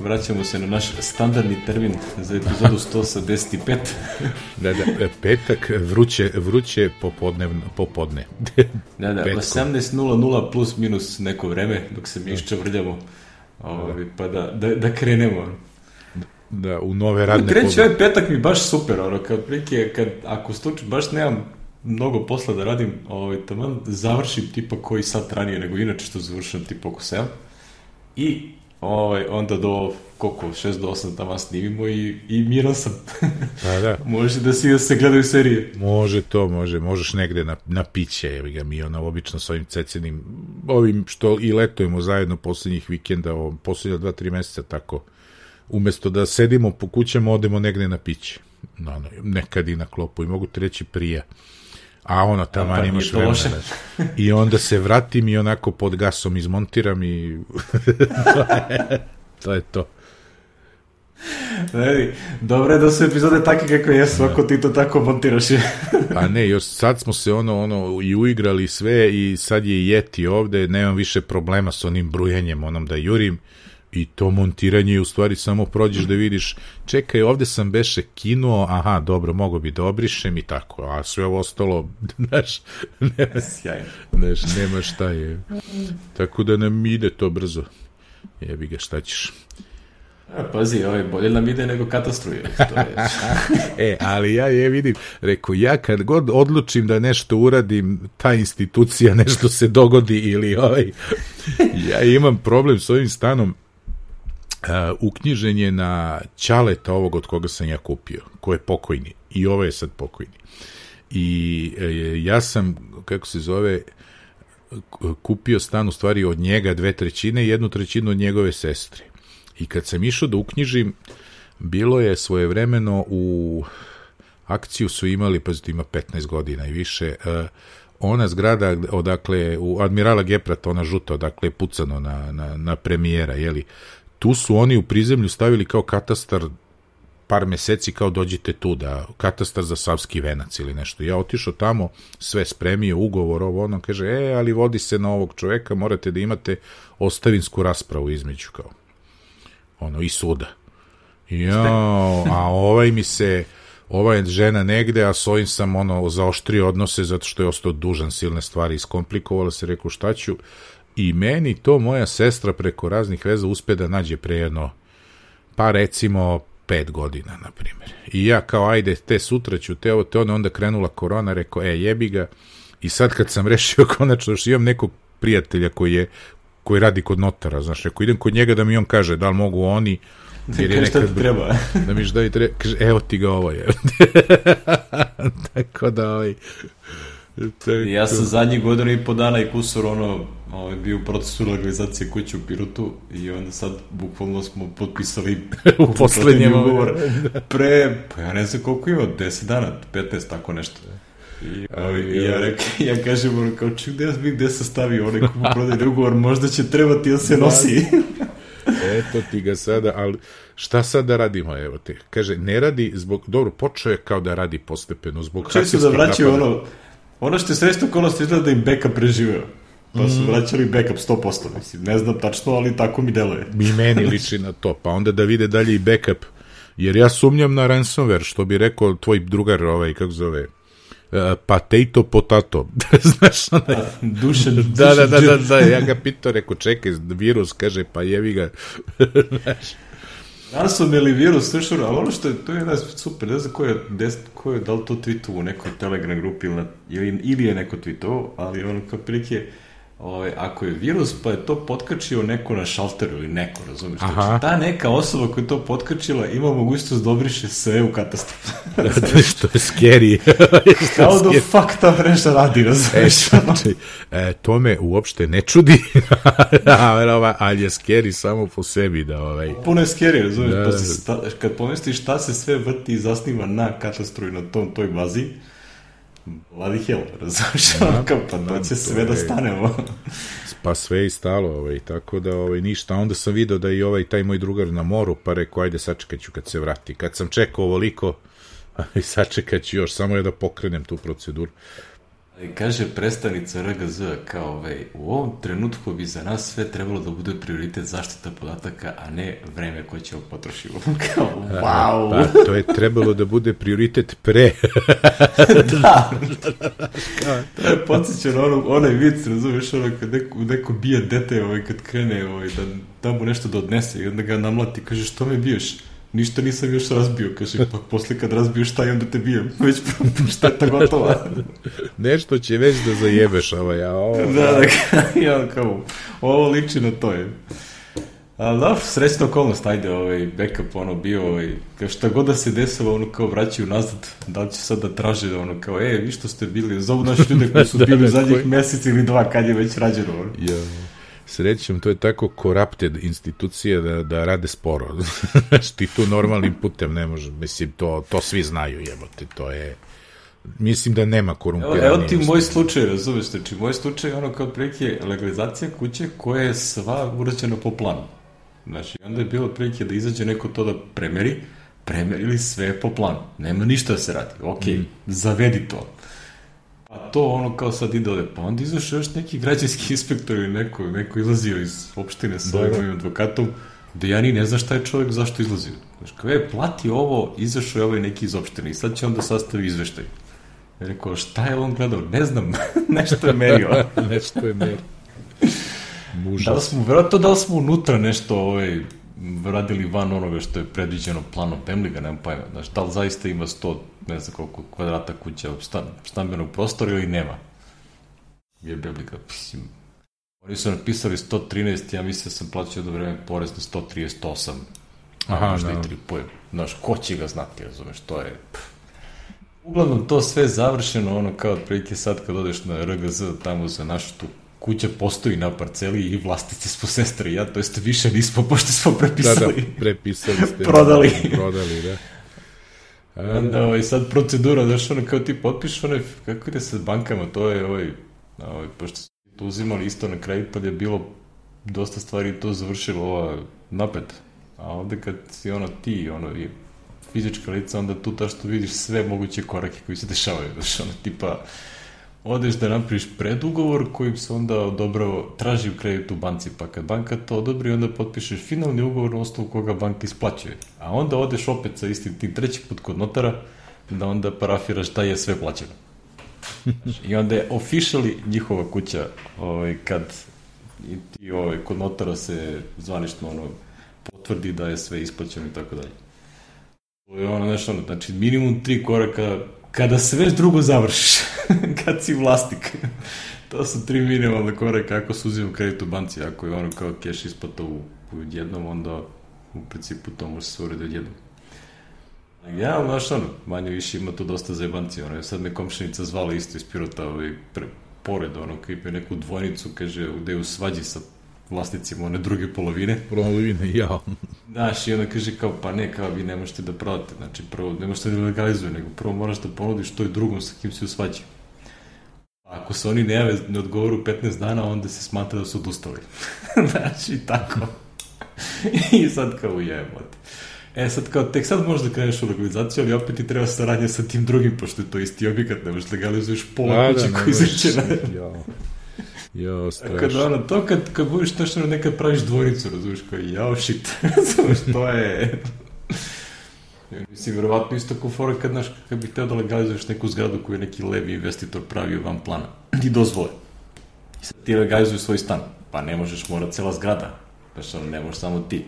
vraćamo se na naš standardni termin za epizodu 185. Da, petak, vruće popodne. Da, 18:00 plus minus neko vreme, dok se mi iščavrljamo, pa da krenemo. Da, u nove radne kreće ovaj petak mi baš super, ako slučaj baš nemam mnogo posla da radim, taman završim tipa koji sat ranije nego inače što završam tipa oko 7 i onda do koliko, 6 do 8 tamo snimimo i miran sam. Da. Može da se gledaju serije. Možeš negde na piće, mi obično s ovim cecenim, ovim što i letujemo zajedno poslednjih vikenda, poslednja 2-3 meseca tako, umesto da sedimo po kućama, odemo negde na piće. Nekad i na klopu i mogu ti reći prija. A taman imaš vremena. I onda se vratim i onako pod gasom izmontiram i to je to. Dobro je da su epizode takve kakve jesu, ako ti to tako montiraš. Pa ne, još sad smo se i uigrali sve i sad je Yeti ovde, nemam više problema s onim brujenjem, da jurim. I to montiranje u stvari samo prođeš da vidiš, čekaj, ovde sam beše kinuo, aha, dobro, mogo bi da obrišem i tako, a sve ovo ostalo, nema šta je. Tako da nam ide to brzo. Jebi ga, šta ćeš? Pazi, bolje nam ide nego katastruje. Ali ja vidim, rekao, ja kad god odlučim da nešto uradim, ta institucija nešto se dogodi ili ja imam problem s ovim stanom. Uknjižen je na ćaleta ovog od koga sam ja kupio, ko je pokojni i ovo je sad pokojni i ja sam, kako se zove, kupio stan u stvari od njega 2/3 i 1/3 od njegove sestre i kad sam išao da uknjižim, bilo je svojevremeno u akciju su imali, pazite, ima 15 godina i više, ona zgrada odakle u Admirala Geprata, ona žuta, odakle je pucano na premijera, jeli, tu su oni u prizemlju stavili kao katastar par meseci, kao dođite tu, katastar za Savski venac ili nešto. Ja otišao tamo, sve spremio, ugovor, kaže, ali vodi se na ovog čoveka, morate da imate ostavinsku raspravu između, kao, i suda. A ova je žena negde, a s ovim sam, zaoštrio odnose, zato što je ostao dužan silne stvari, iskomplikovala se, rekao, šta ću. I meni to moja sestra preko raznih veza uspe da nađe pre jedno, pa recimo 5 godina, na primjer. I ja kao, ajde, te sutra ću, onda krenula korona, rekao, jebi ga. I sad kad sam rešio konačno, što imam nekog prijatelja koji radi kod notara, znaš, rekao, idem kod njega da mi on kaže da li mogu oni, jer je nekad treba. Da mi šta treba, kaže, evo ti ga ovo je. Tako da, ja sam zadnjih godina i po dana i kusur bio u procesu legalizacije kuće u Pirotu i onda sad bukvalno smo potpisali u poslednjem ugovor pa ja ne znam koliko ima, 10 dana, 15, tako nešto. I ja kažem, kao gde se stavi onaj kupoprodajni ugovor, možda će trebati da se nosi. Eto ti ga sada, ali šta sad da radimo, evo te. Kaže, ne radi zbog, dobro, počeo je kao da radi postepeno, zbog hakerskih napada. Često da vraćaju ono što je sredstvo okolosti izgleda da im backup preživeo. Pa su vraćali backup 100%, mislim, ne znam tačno, ali tako mi deluje. Meni liči na to, pa onda da vide dalje i backup, jer ja sumnjam na ransomware, što bi rekao tvoj drugar, kako zove, potato, znaš, Dušan. Da, ja ga pitao, rekao, čekaj, virus, kaže, pa jevi ga, znaš. Ransom ili virus, ali ono što je, to je super, ne znam ko je da li to tweetu u nekoj Telegram grupi ili je neko tweetu, ali kao prilike, ako je virus, pa je to potkačio neko na šalteru ili neko, razumiješ? Znači, ta neka osoba koja je to potkačila ima mogućnost da obriše sve u katastru. Što je scary. Kao da fuck ta mreža radi, razumiješ? To me uopšte ne čudi, ali je scary samo po sebi. Puno je scary, razumiješ? Kad pomisliš šta se sve vrti i zasniva na katastru i na toj bazi, bloody hell, razumiješ? Pa to će sve da stanemo. Pa sve je stalo, tako da ništa. Onda sam video da i taj moj drugar na moru, pa rekao, ajde sačekat ću kad se vrati. Kad sam čekao ovoliko, sačekat ću još, samo je da pokrenem tu proceduru. Kaže predstavnica RGZ kao u ovom trenutku bi za nas sve trebalo da bude prioritet zaštita podataka, a ne vreme koje ćemo potrošiti. Kao, wow! Pa, to je trebalo da bude prioritet pre. Da. To je podsjećano onaj vic, razumiješ, kad neko bije dete kad krene da mu nešto da odnese i onda ga namlati, kaže, što me biješ? Ništa nisam još razbio, kaže, pa posle kad razbiješ taj, onda te bijem. Već šteta gotova. Nešto će već da zajebeš Da, kao, ovo liči na to je. Ali da, srećna okolnost, ajde, backup, bio, kao šta god da se desilo, kao vraćaju nazad, da li će sad da traže, kao, vi što ste bili, zovu naši ljude koji su bili zadnjih mesec ili 2, kad je već rađeno. Srećom, to je tako corrupted institucije da rade sporo. Ti tu normalnim putem ne može, mislim, to svi znaju, jebote, to je... Mislim da nema korumpiranije. Evo ti moj slučaj, razumeš, znači, moj slučaj je kao prilike legalizacija kuće koja je sva urađena po planu. Znači, onda je bilo prilike da izađe neko to da premerili sve po planu. Nema ništa da se radi. Ok, zavedi to. A to kao sad ide ovde. Pa onda izašao još neki građanski inspektor ili neko izlazio iz opštine sa ovim advokatom, da ja ni ne znam šta je čovjek, zašto izlazio. Znači, kao plati ovo, izašao je neki iz opštine i sad će onda sastavi izveštaj. Ja rekao, šta je on gledao? Ne znam, nešto je merio. Nešto je merio. Da li smo unutra nešto radili van onoga što je predviđeno planom Pemliga, nemam pojma. Znači, da li zaista ima 100, ne znam koliko kvadrata kuća stambenog prostora ili nema? Je Pemliga, mislim. Oni su napisali 113, ja mislim da sam plaćao do vreme porez na 138. Aha, možda i 3 pojem. Znaš, ko će ga znati, razumeš, to je... Uglavnom, to sve završeno, kao otprilike sad kad odeš na RGZ, tamo za našu tu kuća postoji na parceli i vlasnici smo sestre i ja, to jest više nismo, pošto smo prepisali. Da, prepisali ste. Prodali, da. Onda, sad procedura, znaš, kao ti potpiš, kako ide se s bankama, to je, pošto smo to uzimali isto na kredit, pa je bilo dosta stvari to završilo napet. A ovde kad si ti, fizička lica, onda tu što vidiš sve moguće korake koji se dešavaju, znaš, tipa, odeš da napraviš predugovor kojim se onda odobrao, traži u kredit u banci, pa kad banka to odobri, onda potpišeš finalni ugovor na osnovu koga banka isplaćuje. A onda odeš opet sa istim tim treći put kod notara, da onda parafiraš da je sve plaćeno. I onda je officially njihova kuća, kad ti kod notara se zvanično potvrdi da je sve isplaćeno i tako dalje. To je znači minimum 3 koraka kada se već drugo završiš, kad si vlasnik. To su 3 minimalne koraka ako se uzima kredit u banci, ako je kao keš isplata u jednom, onda u principu to može se urediti jednom. Ja, manje više ima tu dosta zajebanci, sad me komšinica zvala isto iz Pirota, pored, koji je neku dvojnicu, kaže, gde je u svađi sa vlasnicima one druge polovine. Znaš, i onda kaže kao, pa ne, kao vi ne možete da prodate, znači prvo ne možete da legalizuje, nego prvo moraš da ponudiš to i drugom sa kim si u svađi. Ako se oni ne odgovoru 15 dana, onda se smatra da su odustali. Znači, tako. I sad kao jebote. Sad kao, tek sad možeš da kreneš u legalizaciju, ali opet ti treba saradnja sa tim drugim, pošto je to isti objekat, ne možeš legalizuješ pola kuće koji izrećena. Strašno. To kad budeš nešto nekad praviš dvojnicu, razumiješ, kao shit, razumiješ, to je... Mislim, verovatno isto kao fora kad bih hteo da legalizuješ neku zgradu koju je neki levi investitor pravio van plana i dozvole. I sad ti legalizuješ svoj stan, pa ne možeš, mora cela zgrada, ne možeš samo ti.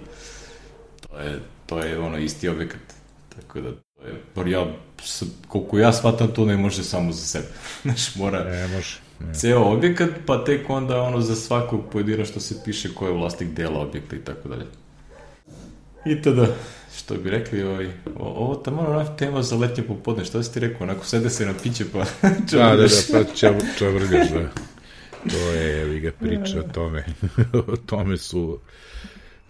To je isti objekat. Tako da, koliko ja shvatam, to ne može samo za sebe. Znaš, mora... Ne može. Ceo objekat, pa tek onda za svakog pojedina što se piše ko je vlasnik dela objekta i tako dalje. I tada, što bi rekli, ovo tamo tema za letnje popodne, što si ti rekao, onako sede se na piće pa čavrgaš. Da, pa čavrgaš, da. To je, evi ga priča o tome. O tome su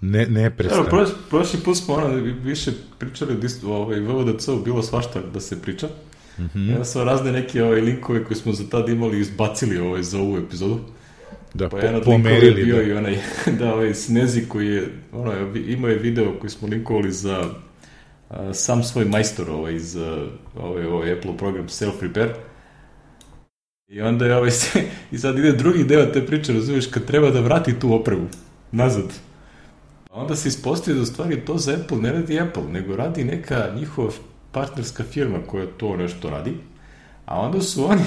neprestane. Prošli put smo više pričali o VVDC-u, bilo svašta da se priča. Ja sam razne neke linkove koje smo za tad imali izbacili za ovu epizodu. Da, pa jedan od linkova je bio i onaj Snezi koji je, imao je video koji smo linkovali za sam svoj majstor iz Apple program Self Repair. I onda je i sad ide drugi deo te priče, razumiješ, kad treba da vrati tu opremu nazad. A onda se ispostavi da u stvari to za Apple ne radi Apple, nego radi neka njihova partnerska firma koja to nešto radi. A onda su oni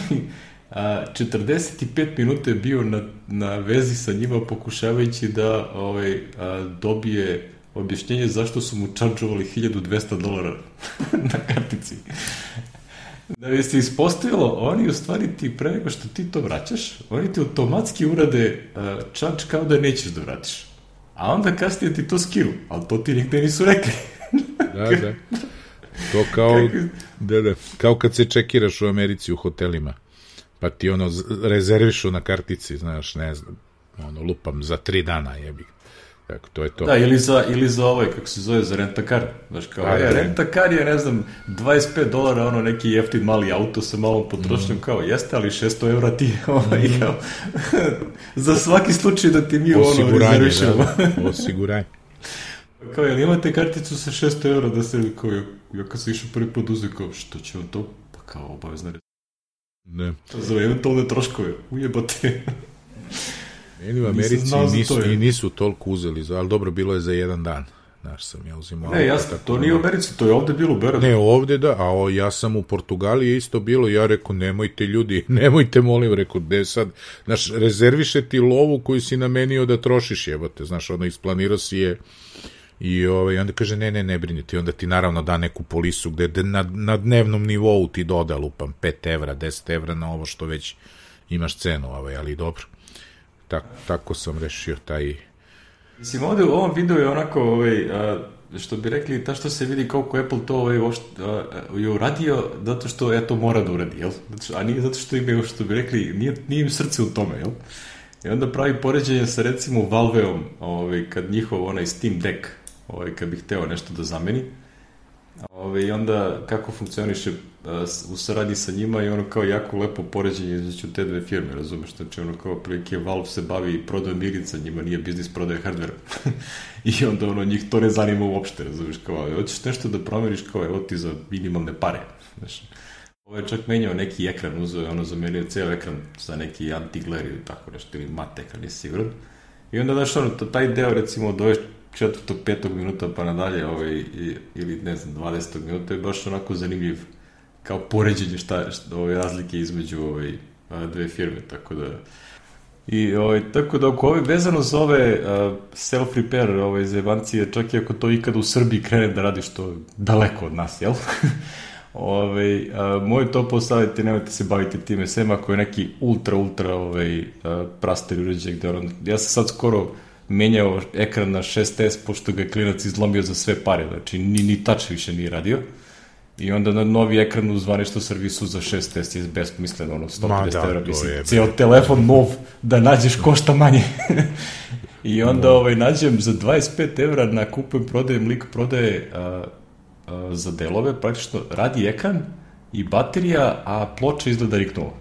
45 minuta je bio na vezi sa njima pokušavajući da dobije objašnjenje zašto su mu čarđovali $1,200 na kartici. Da bi se ispostavilo, oni u stvari ti pre nego što ti to vraćaš, oni ti automatski urade charge kao da nećeš da vratiš. A onda kasnije ti to skinu, ali to ti nigde nisu rekli. Da. To kao kad se čekiraš u Americi u hotelima, pa ti rezervišu na kartici, znaš, ne znam, lupam za 3 dana, jebi. Tako, to je to. Da, ili za kako se zove, za rent-a-car. Znaš, kao, rent-a-car je, ne znam, $25, neki jeftin mali auto sa malom potrošnjom, kao, jeste, ali €600 ti, kao, za svaki slučaj da ti mi rezervišemo. Osiguranje. Kao, jel imate karticu sa €600 da se, kao, ja kad sam išao prvi put uzeo, kao, što će on to? Pa kao, obavezno ne. Za eventualne troškove, ujebate. Meni u Americi nisu toliko uzeli, ali dobro, bilo je za 1 dan. Znaš, sam ja uzimao... Ne, jasno, to nije u Americi, to je ovde bilo u Beogradu. Ne, ovde da, a ja sam u Portugaliji je isto bilo, ja rekao, nemojte ljudi, nemojte, molim, rekao, gde sad, znaš, rezerviše ti lovu koju si namenio da trošiš, jebote, znaš, isplanirao si je i onda kaže, ne brinite, i onda ti naravno da neku polisu gde na dnevnom nivou ti doda, lupam, €5, €10 na ovo što već imaš cenu, ali dobro. Tako sam rešio taj... Mislim, ovde u ovom videu je onako, što bi rekli, ta što se vidi koliko Apple to je uradio, zato što to mora da uradi, jel? A nije zato što imaju, što bi rekli, nije im srce u tome, jel? I onda pravi poređenje sa, recimo, Valveom, kad njihov Steam Deck, kad bi hteo nešto da zameni, i onda kako funkcioniše u saradnji sa njima i kao jako lepo poređenje između te dve firme, razumeš, znači kao prilike Valve se bavi prodajom igrica, njima nije biznis prodaje hardvera i onda njih to ne zanima uopšte, razumeš, kao hoćeš nešto da promeniš, kao evo ti za minimalne pare, znaš. Ovo je čak menjao neki ekran, uzeo je zamenio ceo ekran za neki anti-glare ili tako nešto, ili mat ekran, nisi siguran. I onda, znaš, taj deo, recimo, od 4. 5. minuta pa nadalje, ili ne znam, 20. minuta je baš onako zanimljiv kao poređenje ove razlike između dve firme, tako da tako da oko vezano za ove self-repair zebancije, čak i ako to ikada u Srbiji krene da radi, što je daleko od nas, jel? Moj topao savjet je, nemojte se baviti time, sem ako je neki ultra prastari uređaj, gde ja sam sad skoro menjao ekran na 6S, pošto ga je klinac izlomio za sve pare, znači ni touch više nije radio. I onda na novi ekran u zvaničnom servisu za 6S je besmisleno, €150, mislim, cijel telefon nov da nađeš košta manje. I onda nađem za €25 na kupujem, prodajem, lik prodaje za delove, praktično radi ekran i baterija, a ploča izgleda riknula.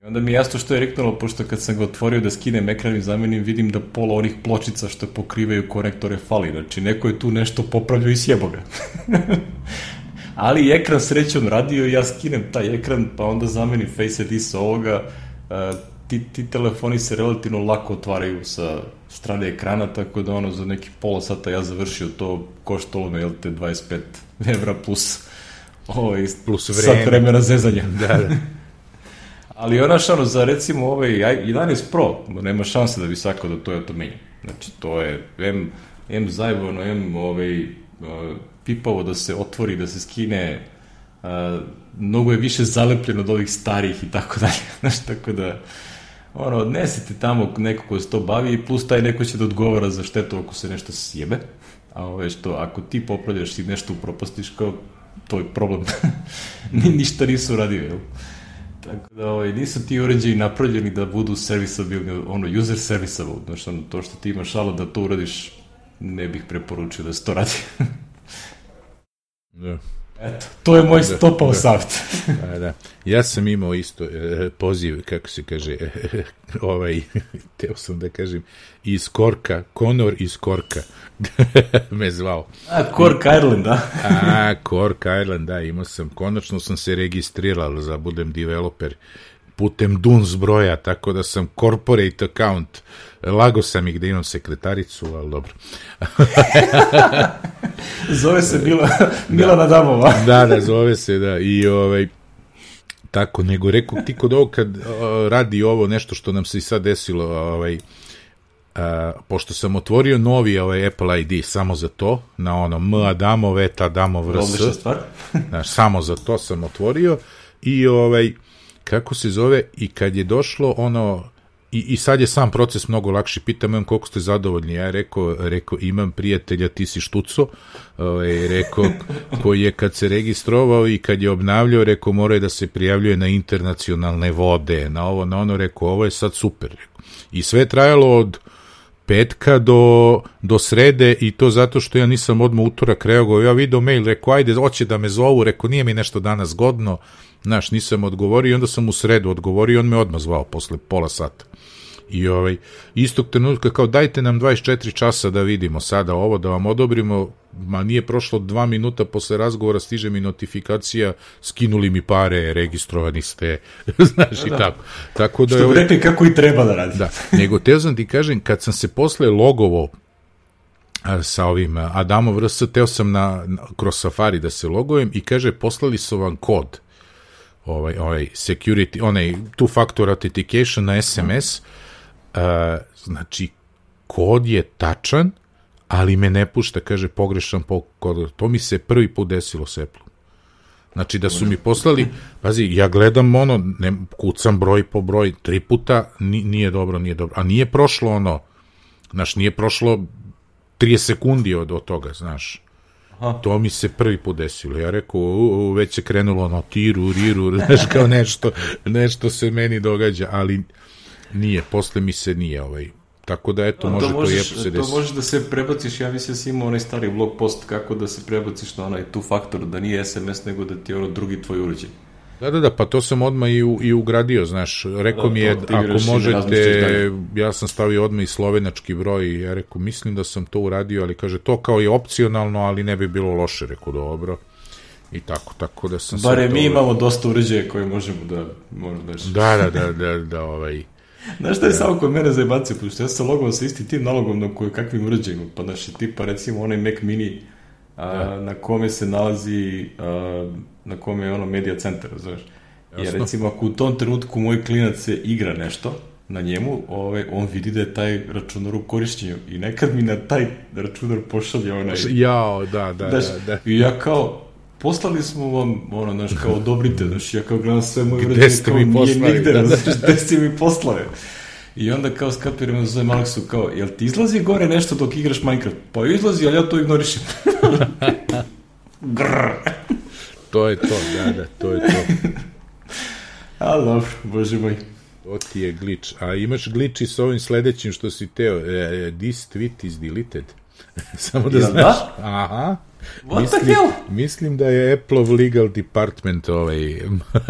I onda mi je jasno što je riknulo, pošto kad sam ga otvorio da skinem ekran i zamenim, vidim da pola onih pločica što pokrivaju konektore fali, znači neko je tu nešto popravljao i sjebo ga. Ali ekran srećom radio i ja skinem taj ekran, pa onda zamenim Face ID sa ovoga. Ti telefoni se relativno lako otvaraju sa strane ekrana, tako da za neki pola sata ja završio to, koštalo me, €25 plus sat vremena zezanja. Da. Ali za recimo 11 Pro, nema šanse da bi svako da to menja. Znači to je M zajebano, M pipavo da se otvori, da se skine, mnogo je više zalepljeno od ovih starijih i tako dalje. Znači, tako da odnesite tamo neko ko se to bavi i plus taj neko će da odgovara za štetu ako se nešto sjebe. A ako ti popravljaš i nešto upropastiš, kao to je problem. Ništa nisu uradio, jel? Tako da nisu ti uređaji napravljeni da budu serviceable, user serviceable, znači to što ti imaš da to uradiš, ne bih preporučio da se to radi. Da. Eto, to je moj stopao savjet. Da. Ja sam imao isto poziv, kako se kaže, teo sam da kažem, iz Korka, Conor iz Korka, me zvao. Cork Ireland, da? Cork Ireland, da, imao sam, konačno sam se registrirao da budem developer putem DUNS broja, tako da sam corporate account. Lago sam ih da imam sekretaricu, ali dobro. Zove se Milana Damova. Da, zove se, da. I tako, nego rekao ti kod ovo kad radi ovo nešto što nam se i sad desilo, pošto sam otvorio novi Apple ID samo za to, na ono M Adamov, et Adamov RS. Odlična stvar. Znaš, samo za to sam otvorio i kako se zove, i kad je došlo ono, i sad je sam proces mnogo lakši, pitam koliko ste zadovoljni, ja rekao imam prijatelja, ti si štuco, rekao, koji je kad se registrovao i kad je obnavljao, rekao mora da se prijavljuje na internacionalne vode, na ovo, na ono, rekao ovo je sad super, i sve je trajalo od petka do srede, i to zato što ja nisam odmah utorak reagovao, ja video mail, rekao ajde, hoće da me zovu, rekao nije mi nešto danas godno, znaš, nisam odgovorio, i onda sam u sredu odgovorio, on me odmah zvao posle pola sata. I istog trenutka kao dajte nam 24 časa da vidimo sada ovo, da vam odobrimo, ma nije prošlo 2 minuta posle razgovora, stiže mi notifikacija, skinuli mi pare, registrovani ste, znaš, i tako. Tako da što bi rekli kako i treba da radi. Da, nego teo sam ti kažem, kad sam se posle logovao sa ovim Adamov RS, teo sam kroz Safari da se logujem i kaže poslali su vam kod, security, two-factor authentication na SMS, znači kod je tačan, ali me ne pušta, kaže pogrešan kod. To mi se prvi put desilo s Apple. Znači da su mi poslali, pazi, ja gledam kucam broj po broj 3 puta, nije dobro, a nije prošlo znaš, nije prošlo 30 sekundi od toga, znaš. Aha. To mi se prvi put desilo. Ja rekao, već se krenulo tiru, riru, znaš, kao nešto se meni događa, ali nije, posle mi se nije tako da eto, može to i Apple se desiti. To možeš da se prebaciš, ja mislim da si imao onaj stari blog post kako da se prebaciš na onaj two factor, da nije SMS nego da ti je drugi tvoj uređaj. Da, pa to sam odmah i ugradio, znaš, rekao mi je, ako možete, ja sam stavio odmah i slovenački broj, ja rekao, mislim da sam to uradio, ali kaže, to kao je opcionalno, ali ne bi bilo loše, rekao, dobro, i tako da sam... Bare mi imamo dosta uređaja koje možemo da... Znaš šta je samo kod mene zajebacio, pošto ja sam logovao sa isti tim nalogom na kakvim uređajima, pa znaš, tipa recimo onaj Mac Mini, na kome se nalazi, na kome je media centar, znaš. Jer recimo ako u tom trenutku moj klinac se igra nešto na njemu, on vidi da je taj računar u korišćenju i nekad mi na taj računar pošalje onaj... Jao, da. I ja kao, poslali smo vam, znaš, kao odobrite, znaš, ja kao gledam sve moje uređaje, kao nije nigde, znaš, gde ste mi poslali. I onda kao skapiram za zovem Aleksu, kao, jel ti izlazi gore nešto dok igraš Minecraft? Pa izlazi, ali ja to ignorišem. Grrr. To je to, da, to je to. Ali dobro, bože moj. To ti je glitch. A imaš glitch i s ovim sledećim što si teo. This tweet is deleted. Samo da znaš. Da? Aha. What the hell? Mislim da je Apple legal department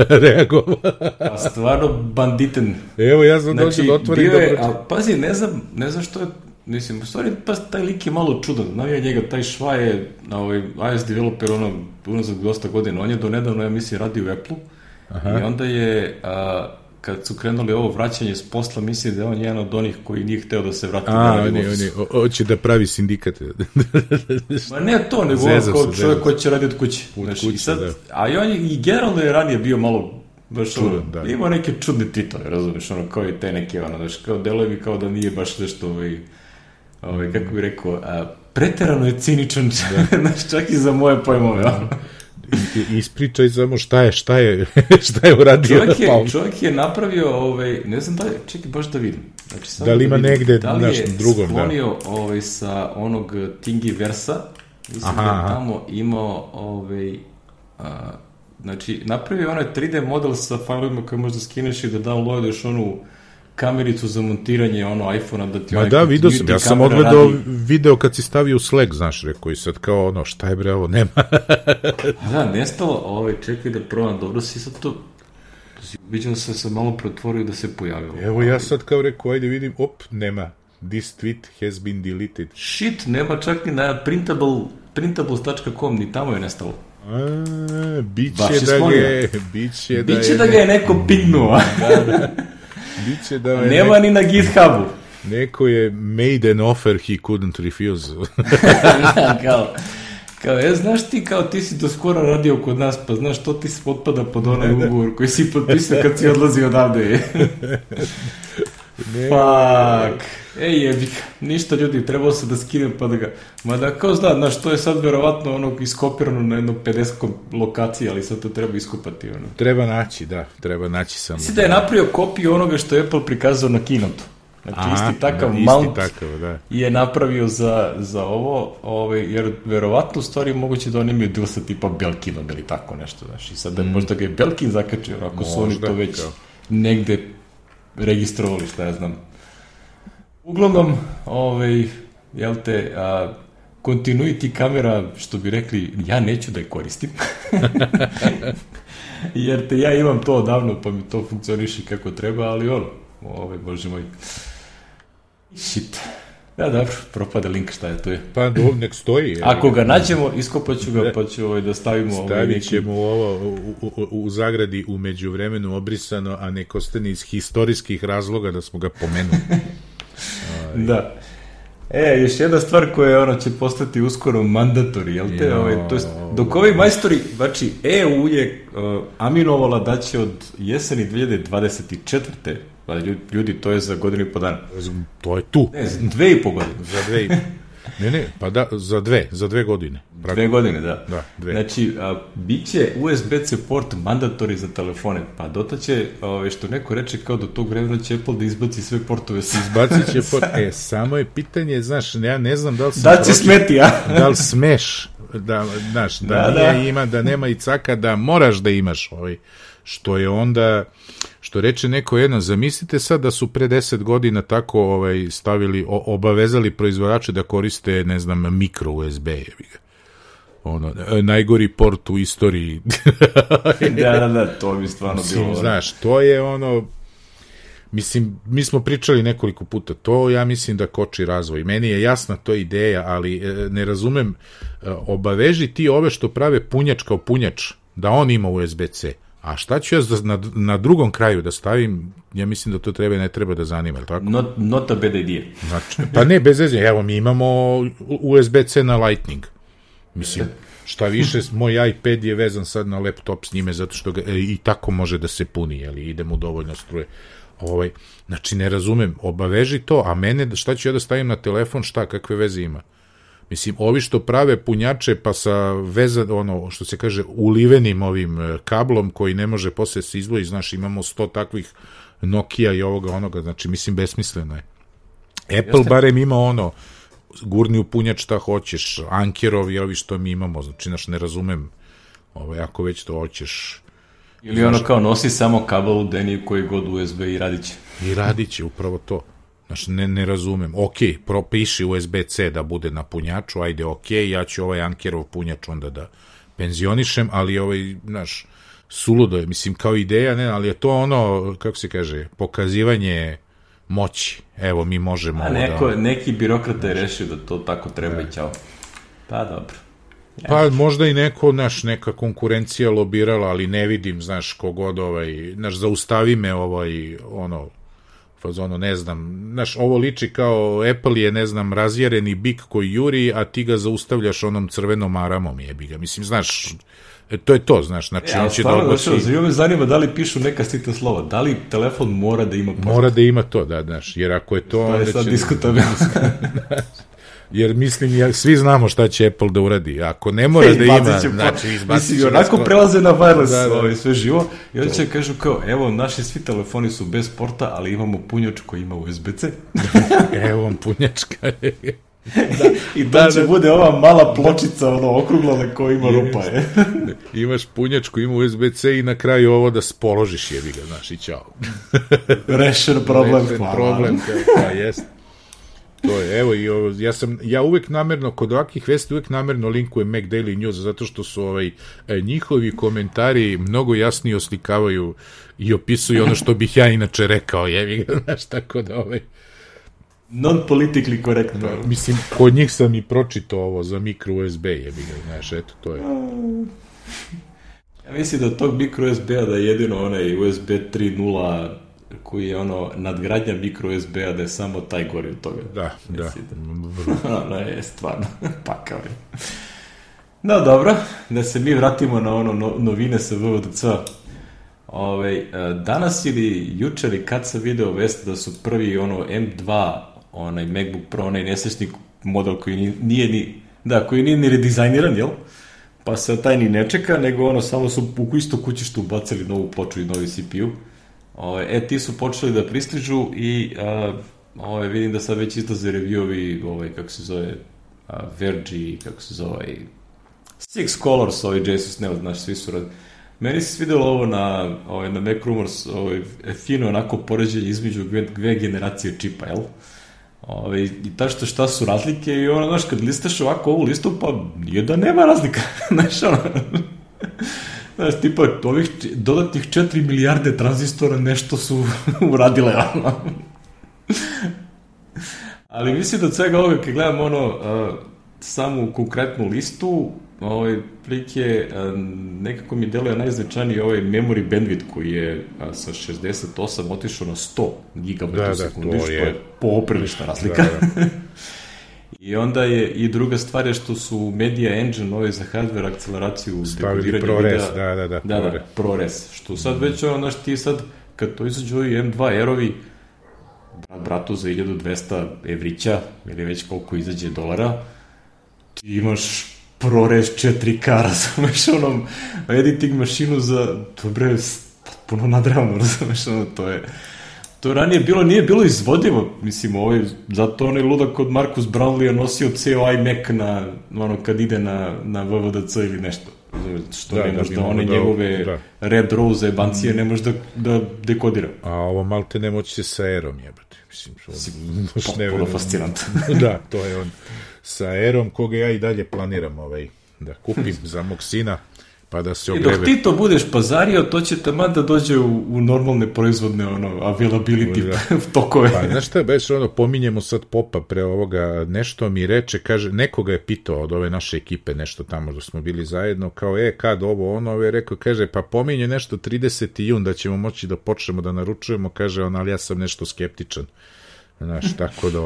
reagovao. A stvarno banditen. Evo, ja sam dođe da otvorim dobro. Ali pazi, ne znam što je, mislim, u stvari, taj lik je malo čudan. Navija njega, taj šva je iOS developer, unazad dosta godina. On je donedavno, ja mislim, radi u Apple-u. I onda je, kad su krenuli ovo vraćanje s posla, mislim da je on jedan od onih koji nije hteo da se vrati. Hoće da pravi sindikat. Ma ne to, nego kao čovjek koji će raditi od kuće. A i on i generalno je ranije bio malo baš čudan, ima neke čudne tweetove, razumiješ, kao i te neke, kao deluje mi kao da nije baš nešto, kako bih rekao, preterano je ciničan, čak i za moje pojmove, ispričaj samo šta je uradio. Čovjek je napravio, ne znam da li, čekaj baš da vidim. Znači, da li ima negde da li je sklonio sa onog Thingiversa, mislim da je tamo imao znači napravio onaj 3D model sa failovima koje možda skineš i da downloadiš onu kamericu za montiranje iPhone-a da ti vidio sam, ja sam odgledao video kad si stavio u Slack, znaš, rekao i sad kao šta je bre ovo, nema. Da, nestalo, čekaj da probam, dobro si sad to, vidim se sam malo pretvorio da se pojavilo. Evo ja sad kao rekao, ajde vidim, nema, this tweet has been deleted. Shit, nema čak ni na printables.com, ni tamo je nestalo. Biće da ga je neko pingnuo. Biće da nema ni na GitHubu. Neko je made an offer he couldn't refuse. Kao, znaš ti, kao ti si do skoro radio kod nas, pa znaš, to ti se potpada pod onaj ugovor koji si potpisao kad si odlazi odavde. Fuck. Jebika. Ništa, ljudi, trebalo se da skinem pa da ga... Mada, kao znaš, to je sad verovatno ono iskopirano na jedno 50 lokacija, ali sad to treba iskopati. Ono. Treba naći samo. Mislim da je napravio kopiju onoga što je Apple prikazao na keynote. Znači, isti takav mount je napravio za ovo, jer verovatno u stvari moguće da oni imaju deal sa tipa Belkinom ili tako nešto, znaš, i sad da možda ga je Belkin zakačio, ako su oni to već negde registrovali, šta ja znam. Uglavnom, jel te, continuity kamera, što bi rekli, ja neću da je koristim, jer te ja imam to odavno, pa mi to funkcioniše kako treba, ali bože moj. Shit. Ja, dobro, propade link, šta je to je. Pa, nek stoji. Ako ga nađemo, iskopaću ga, pa ću da stavimo... Stavit ćemo ovo u zagradi u međuvremenu obrisano, a nek ostane iz historijskih razloga da smo ga pomenuli. Da. Još jedna stvar koja će postati uskoro mandatori, jel te? To jest, dok ovi majstori, znači EU je aminovala da će od jeseni 2024. Ljudi, to je za godinu i po dana. To je tu. Ne, za 2,5 godine. Za 2,5. Ne, pa da, za 2 godine. 2 godine, da. Da, 2. Znači, bit će USB-C port mandatori za telefone, pa dotaće, što neko reče, kao do tog vremena će Apple da izbaci sve portove. Izbacit će port, samo je pitanje, znaš, ja ne znam da li sam... Da će smeti, ja? Da li smeš, da nema i caka, da moraš da imaš što je onda... Što reče neko jedno, zamislite sad da su pre 10 godina tako stavili, obavezali proizvođače da koriste, ne znam, mikro USB. Najgori port u istoriji. Da, to bi stvarno bilo. Znaš, to je mislim, mi smo pričali nekoliko puta, to ja mislim da koči razvoj. Meni je jasna to ideja, ali ne razumem, obaveži ti ove što prave punjač kao punjač, da on ima USB-C. A šta ću ja na drugom kraju da stavim, ja mislim da to ne treba da zanima, je li tako? Not a bad idea. Znači, pa ne, bez veze, evo mi imamo USB-C na Lightning. Mislim, šta više, moj iPad je vezan sad na laptop s njime, zato što ga i tako može da se puni, jeli, ide mu dovoljno struje. Znači, ne razumem, obaveži to, a mene, šta ću ja da stavim na telefon, kakve veze ima? Mislim, ovi što prave punjače pa sa što se kaže, ulivenim ovim kablom koji ne može posle se izvoji, znaš, imamo 100 takvih Nokia i onoga, znači, mislim, besmisleno je. Apple barem ima gurni u punjač šta hoćeš, Ankerovi, ovi što mi imamo, znači, znaš, ne razumem, ako već to hoćeš. Ili kao nosi samo kabel u deni koji god USB i radit će. I radit će, upravo to. Znači, ne razumem. Ok, propiši USB-C da bude na punjaču, ajde, ok, ja ću Ankerov punjač onda da penzionišem, ali znaš, suludo je, mislim, kao ideja, ne, ali je to kako se kaže, pokazivanje moći. Evo, mi možemo... Neki birokrata je rešio da to tako treba i ćao. Pa, dobro. Pa, možda i neka konkurencija lobirala, ali ne vidim, znaš, kogod, zaustavi me ne znam, znaš, ovo liči kao Apple je, ne znam, razjereni bik koji juri, a ti ga zaustavljaš onom crvenom maramom, jebi ga. Mislim, znaš, to je to, znaš, znači on će da odbaci... Zanima me zanima da li pišu neka sitna slova, da li telefon mora da ima port? Mora da ima to, da, znaš, jer ako je to... To je sad diskutabilno. Jer mislim, svi znamo šta će Apple da uradi. Ako ne mora da ima, znači izbacit će... Onako prelaze na wireless sve živo i onda će kažu kao, evo, naši svi telefoni su bez porta, ali imamo punjač koji ima USB-C. Evo vam punjačka. I to će bude ova mala pločica, okruglana koja ima rupa. Imaš punjačku, ima USB-C i na kraju ovo da spoložiš, jebi ga, znaš, i čao. Rešen problem. Pa jest. To je, evo, ja uvek namerno, kod ovakvih vesti uvek namerno linkujem Mac Daily News, zato što su njihovi komentari mnogo jasnije oslikavaju i opisuju ono što bih ja inače rekao, jevi ga, znaš, tako da non-politically korektno. Mislim, kod njih sam i pročitao ovo za micro USB, jebi ga, znaš, eto, to je. Ja mislim da od tog micro USB-a da je jedino onaj USB 3.0 koji je nadgradnja micro USB-a da je samo taj gori od toga. Da. Ono je stvarno pakao je. No, dobro, da se mi vratimo na novine sa VVDC. Danas ili jučer i kad sam video vest da su prvi M2, onaj MacBook Pro, onaj nesrećni model koji koji nije ni redizajniran, jel? Pa se taj ni ne čeka, nego samo su u isto kućištu ubacili novu ploču i novi CPU. Ti su počeli da pristižu i vidim da sad već izlaze review-ovi, kako se zove, Verge, kako se zove, Six Colors, Jesus, znaš, svi su radili. Meni se svidelo ovo na Mac Rumors, fino onako poređenje između dve generacije čipa, jel? I tačno šta su razlike i znaš, kad listaš ovako ovu listu, pa nije da nema razlika, znaš, znaš, tipa, ovih dodatnih 4 milijarde tranzistora nešto su uradile, ali mislim da od svega ovoga, kad gledam samu konkretnu listu, prilike nekako mi deluje najznačajniji memory bandwidth koji je sa 68 otišao na 100 GB u sekundi, što je poprilična razlika. I onda je i druga stvar je što su Media Engine za hardware akceleraciju stavili ProRes, da, ProRes, što sad već znaš, ti sad kad to izađu ovi M2 Aerovi, bratu za 1200 evrića ili već koliko izađe dolara, ti imaš ProRes 4K, razumeš, editing mašinu za, dobre, puno nadrealno, razumeš, to ranije nije bilo izvodivo, mislim, zato onaj ludak od Marcus Brownlee je nosio ceo iMac kad ide na VVDC ili nešto, što ne može da one njegove Red Rose jebancije ne može da dekodira. A ovo malte ne moći se sa Aerom jebati, mislim, potpuno fascinantno. Da, to je on. Sa Aerom, koga ja i dalje planiram da kupim za mog sina, pa da se ogreve. I dok ti to budeš pazario, to će taman da dođe u normalne proizvodne availability tokove. Pa, znaš šta, beš, pominjemo sad Popa pre ovoga, nešto mi reče, kaže, nekoga je pitao od ove naše ekipe, nešto tamo da smo bili zajedno, kao, kad ovo je rekao, kaže, pa pominje nešto 30. jun da ćemo moći da počnemo da naručujemo, kaže on, ali ja sam nešto skeptičan. Znaš, tako da,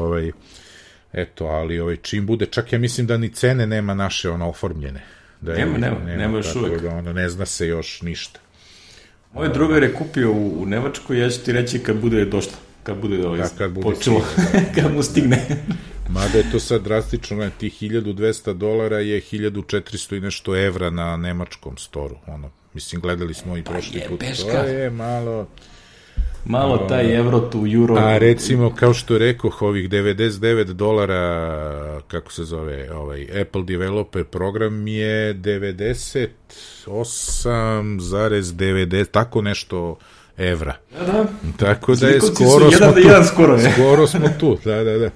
eto, ali čim bude, čak ja mislim da ni cene nema naše oformljene. Nema još uvek. Tako da ne zna se još ništa. Moj drugar je kupio u Nemačkoj, ja ću ti reći kad bude došla, kad bude počelo, kad mu stigne. Mada je to sad drastično, ti $1,200 je 1.400 i nešto evra na nemačkom storu. Mislim, gledali smo i prošli put. To je malo taj evro tu euro. A recimo, kao što rekoh, ovih $99, kako se zove, Apple Developer program je 98,90, tako nešto evra. Da. Tako da je skoro smo tu. Da.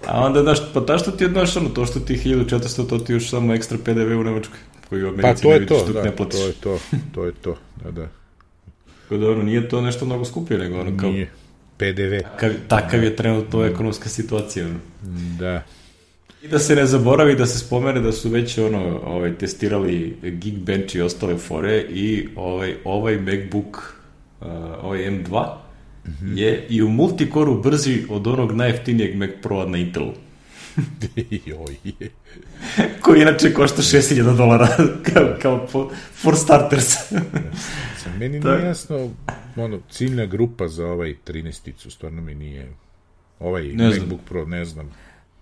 A onda, znaš, pa ta što ti je, znaš, to što ti 1400, to ti još samo ekstra PDV u Nemačkoj, koji u Americi ne vidiš dok ne platiš. To je to, da. Nije to nešto mnogo skuplje, nego kao... Nije. PDV. Takav je trenutno ekonomska situacija. Da. I da se ne zaboravi, da se spomene da su već testirali Geekbench i ostale fore i ovaj MacBook, ovaj M2, je i u multikoru brži od onog najjeftinijeg Mac Pro-a na Intelu. Koji inače košta $6,000 kao for starters. Meni nije jasno, ciljna grupa za 13-icu, stvarno mi nije, MacBook Pro, ne znam.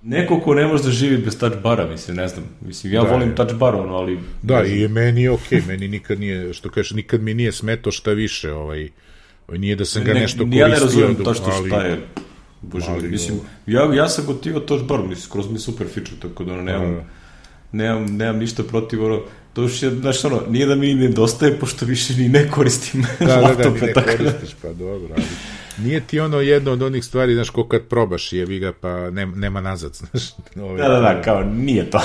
Neko ko ne može da živi bez touch bara, ne znam, ja volim touch bar, ali... Da, i meni je okej, meni nikad nije, što kažeš, nikad mi nije smeto šta više, nije da sam ga nešto koristio. Ja ne razumijem tačno šta je, bože, ja sam gotivao touch bar, skroz mi super feature, tako da nemam ništa protiv, to još je, znaš, nije da mi nedostaje, pošto više ni ne koristim laptope. Da, ni ne koristiš, pa dobro, ali nije ti jedno od onih stvari, znaš, ko kad probaš, jebi ga, pa nema nazad, znaš. Da, kao, nije to.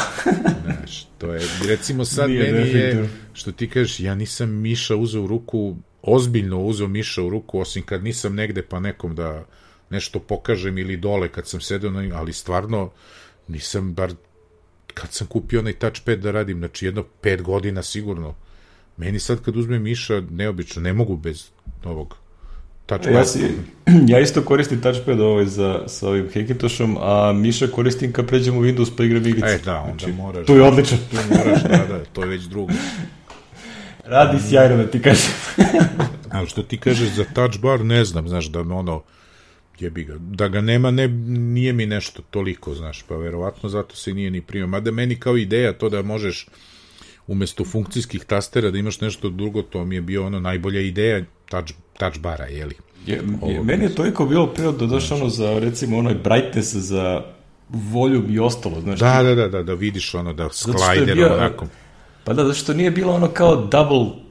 Znaš, to je, recimo sad meni je, što ti kažeš, ja nisam miša uzeo u ruku, ozbiljno uzeo miša u ruku, osim kad nisam negde pa nekom da nešto pokažem ili dole kad sam sedeo, ali stvarno nisam bar kad sam kupio onaj touchpad da radim, znači jedno 5 godina sigurno. Meni sad kad uzmem miša, neobično, ne mogu bez novog touchpada. Ja isto koristim touchpad sa ovim Hackintoshom, a miša koristim kad pređem u Windows pa igram igrice. Da, onda znači, moraš. To je odlično. Tu moraš, da, to je već drugo. Radi sjajno da ti kažem. Ali što ti kažeš za touch bar, ne znam, znaš, da me ono, jebi ga, da ga nema, nije mi nešto toliko, znaš, pa verovatno zato se nije ni primio. Mada meni kao ideja to da možeš umesto funkcijskih tastera da imaš nešto drugo, to mi je bio ono najbolja ideja touch bara, jeli? Meni je toliko bilo prirodno došlo ono za, recimo, onaj brightness za volume i ostalo, znaš. Da vidiš ono, da slider onako. Pa da, zato što nije bilo ono kao double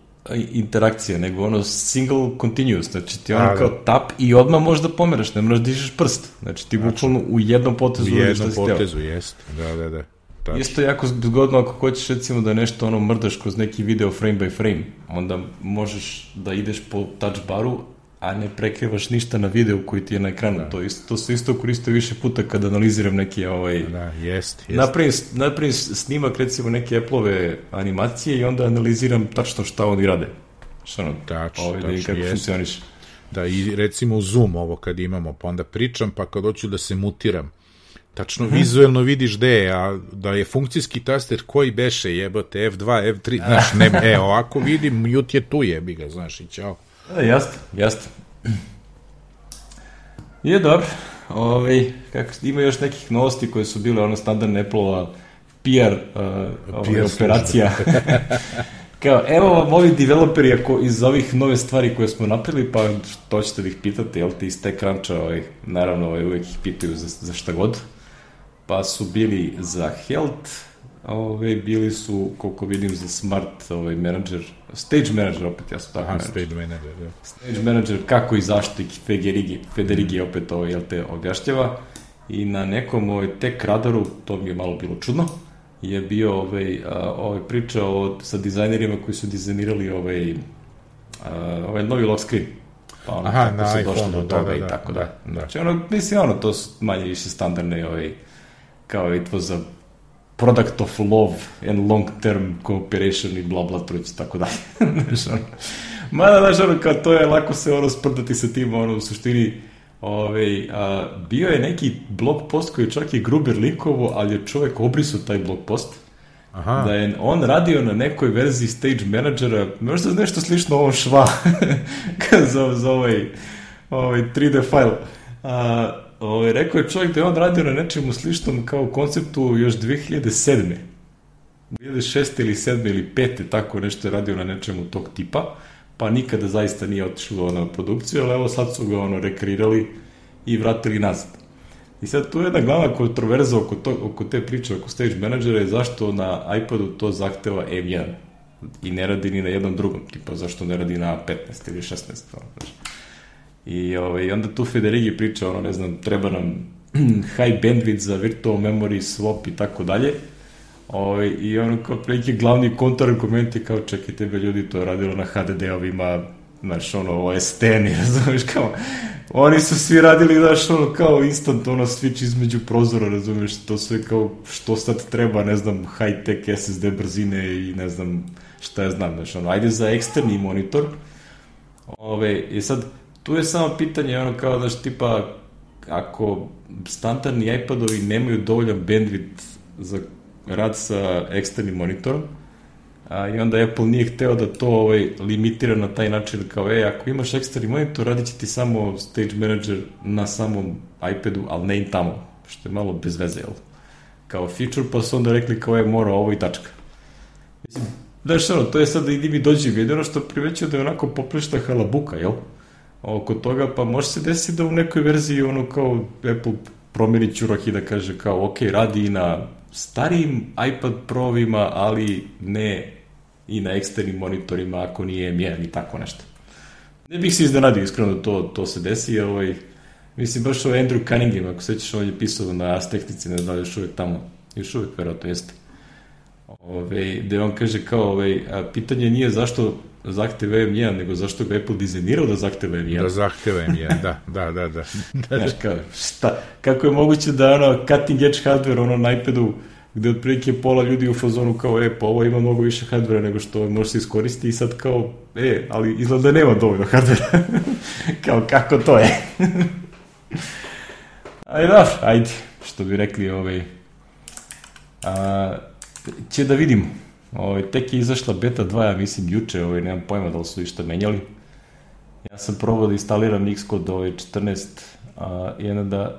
interakcija, nego ono single continuous, znači ti ono kao tap i odmah možeš da pomeraš, ne moraš da dižeš prst, znači ti bukvalno u jednom potezu uradiš šta si htio. U jednom potezu, jest, da. Tačno. Isto jako zgodno ako hoćeš recimo da nešto ono mrdaš kroz neki video frame by frame, onda možeš da ideš po touch baru, a ne prekrivaš ništa na videu koji ti je na ekranu. To se isto koristio više puta kad analiziram neki jest. Napravim snimak recimo neke Apple-ove animacije i onda analiziram tačno šta oni rade. Tačno, kako funkcioniš. Da, i recimo u Zoom ovo kad imamo, pa onda pričam, pa kad hoću da se mutiram, tačno vizuelno vidiš gde je, a da je funkcijski taster koji beše, jebote, F2, F3, znaš, ovako vidim, mute je tu, jebi ga, znaš, i ćao. Jasno. Je dobro. Ima još nekih novosti koje su bile ono standardne Apple-ova PR operacija. Kao, evo vam ovi developeri ako iz ovih nove stvari koje smo napravili, pa to ćete da ih pitate, jel ti iz TechCruncha, naravno uvek ih pitaju za šta god. Pa su bili za Health, bili su, koliko vidim, za Smart Manager, Stage Manager opet, ja sam tako Stage Manager, kako i zašto i Federighi opet te objašnjava. I na nekom Tech Radaru, to mi je malo bilo čudno, je bio priča sa dizajnerima koji su dizajnirali novi lock screen. Pa na iPhone-u, i tako da. Znači, to su manje više standardne, kao it was a product of love and long-term cooperation i bla truć, tako da. Mada, znaš, kao to je lako se sprdati sa tim, u suštini, bio je neki blog post koji čak i Gruber likovo, ali je čovek obrisao taj blog post. Da je on radio na nekoj verziji Stage Managera, možda nešto slično ovom šva za ovaj 3D file. Rekao je čovjek da je on radio na nečemu sličnom kao konceptu još 2006. ili 2007. ili 2005. tako nešto je radio na nečemu tog tipa, pa nikada zaista nije otišlo na produkciju, ali evo sad su ga rekreirali i vratili nazad. I sad tu je jedna glavna kontroverza oko te priče, oko Stage Managera je zašto na iPadu to zahteva M1 i ne radi ni na jednom drugom, tipa zašto ne radi na 15 ili 16. I onda tu Federighi priča, treba nam high bandwidth za virtual memory swap i tako dalje. I kao prilike glavni kontrargument je kao čekajte ljudi, to je radilo na HDD-ovima, znaš, OS-10, razumiješ, kao oni su svi radili, znaš, kao instant, switch između prozora, razumiješ, to sve kao što sad treba, ne znam, high-tech SSD brzine i ne znam šta ja znam, znaš, ajde za eksterni monitor. I sad, tu je samo pitanje, kao, znaš, tipa, ako standardni iPadovi nemaju dovoljan bandwidth za rad sa eksternim monitorom, i onda Apple nije hteo da to limitira na taj način, kao, ako imaš eksterni monitor, radit će ti samo Stage Manager na samom iPadu, ali ne i tamo, što je malo bez veze, jel? Kao feature, pa su onda rekli kao, mora ovo i tačka. Mislim, znaš, to je sad da idi mi dođi video, što privećuje da je onako poprešta halabuka, jel? Oko toga, pa može se desiti da u nekoj verziji kao Apple promjeni ćurak i da kaže kao ok, radi i na starijim iPad Pro-ovima, ali ne i na eksternim monitorima ako nije M1 i tako nešto. Ne bih se iznenadio iskreno da to se desi, mislim baš Andrew Cunningham, ako sećaš, on je pisao na Ars Technici, ne znam, još uvijek tamo, još uvijek verovatno jeste. Gde on kaže kao, pitanje nije zašto zahteva M1, nego zašto ga Apple dizajnirao da zahteva M1. Da zahteva M1, da. Znaš, kako je moguće da cutting edge hardware na iPadu gde otprilike pola ljudi u fazonu kao, pa ovo ima mnogo više hardvera nego što može se iskoristiti i sad kao, ali izgleda da nema dovoljno hardvera. Kao, kako to je? Ajde, što bi rekli, će da vidimo. Tek je izašla beta 2, ja mislim, juče, nemam pojma da li su išta menjali. Ja sam probao da instaliram Xcode 14 i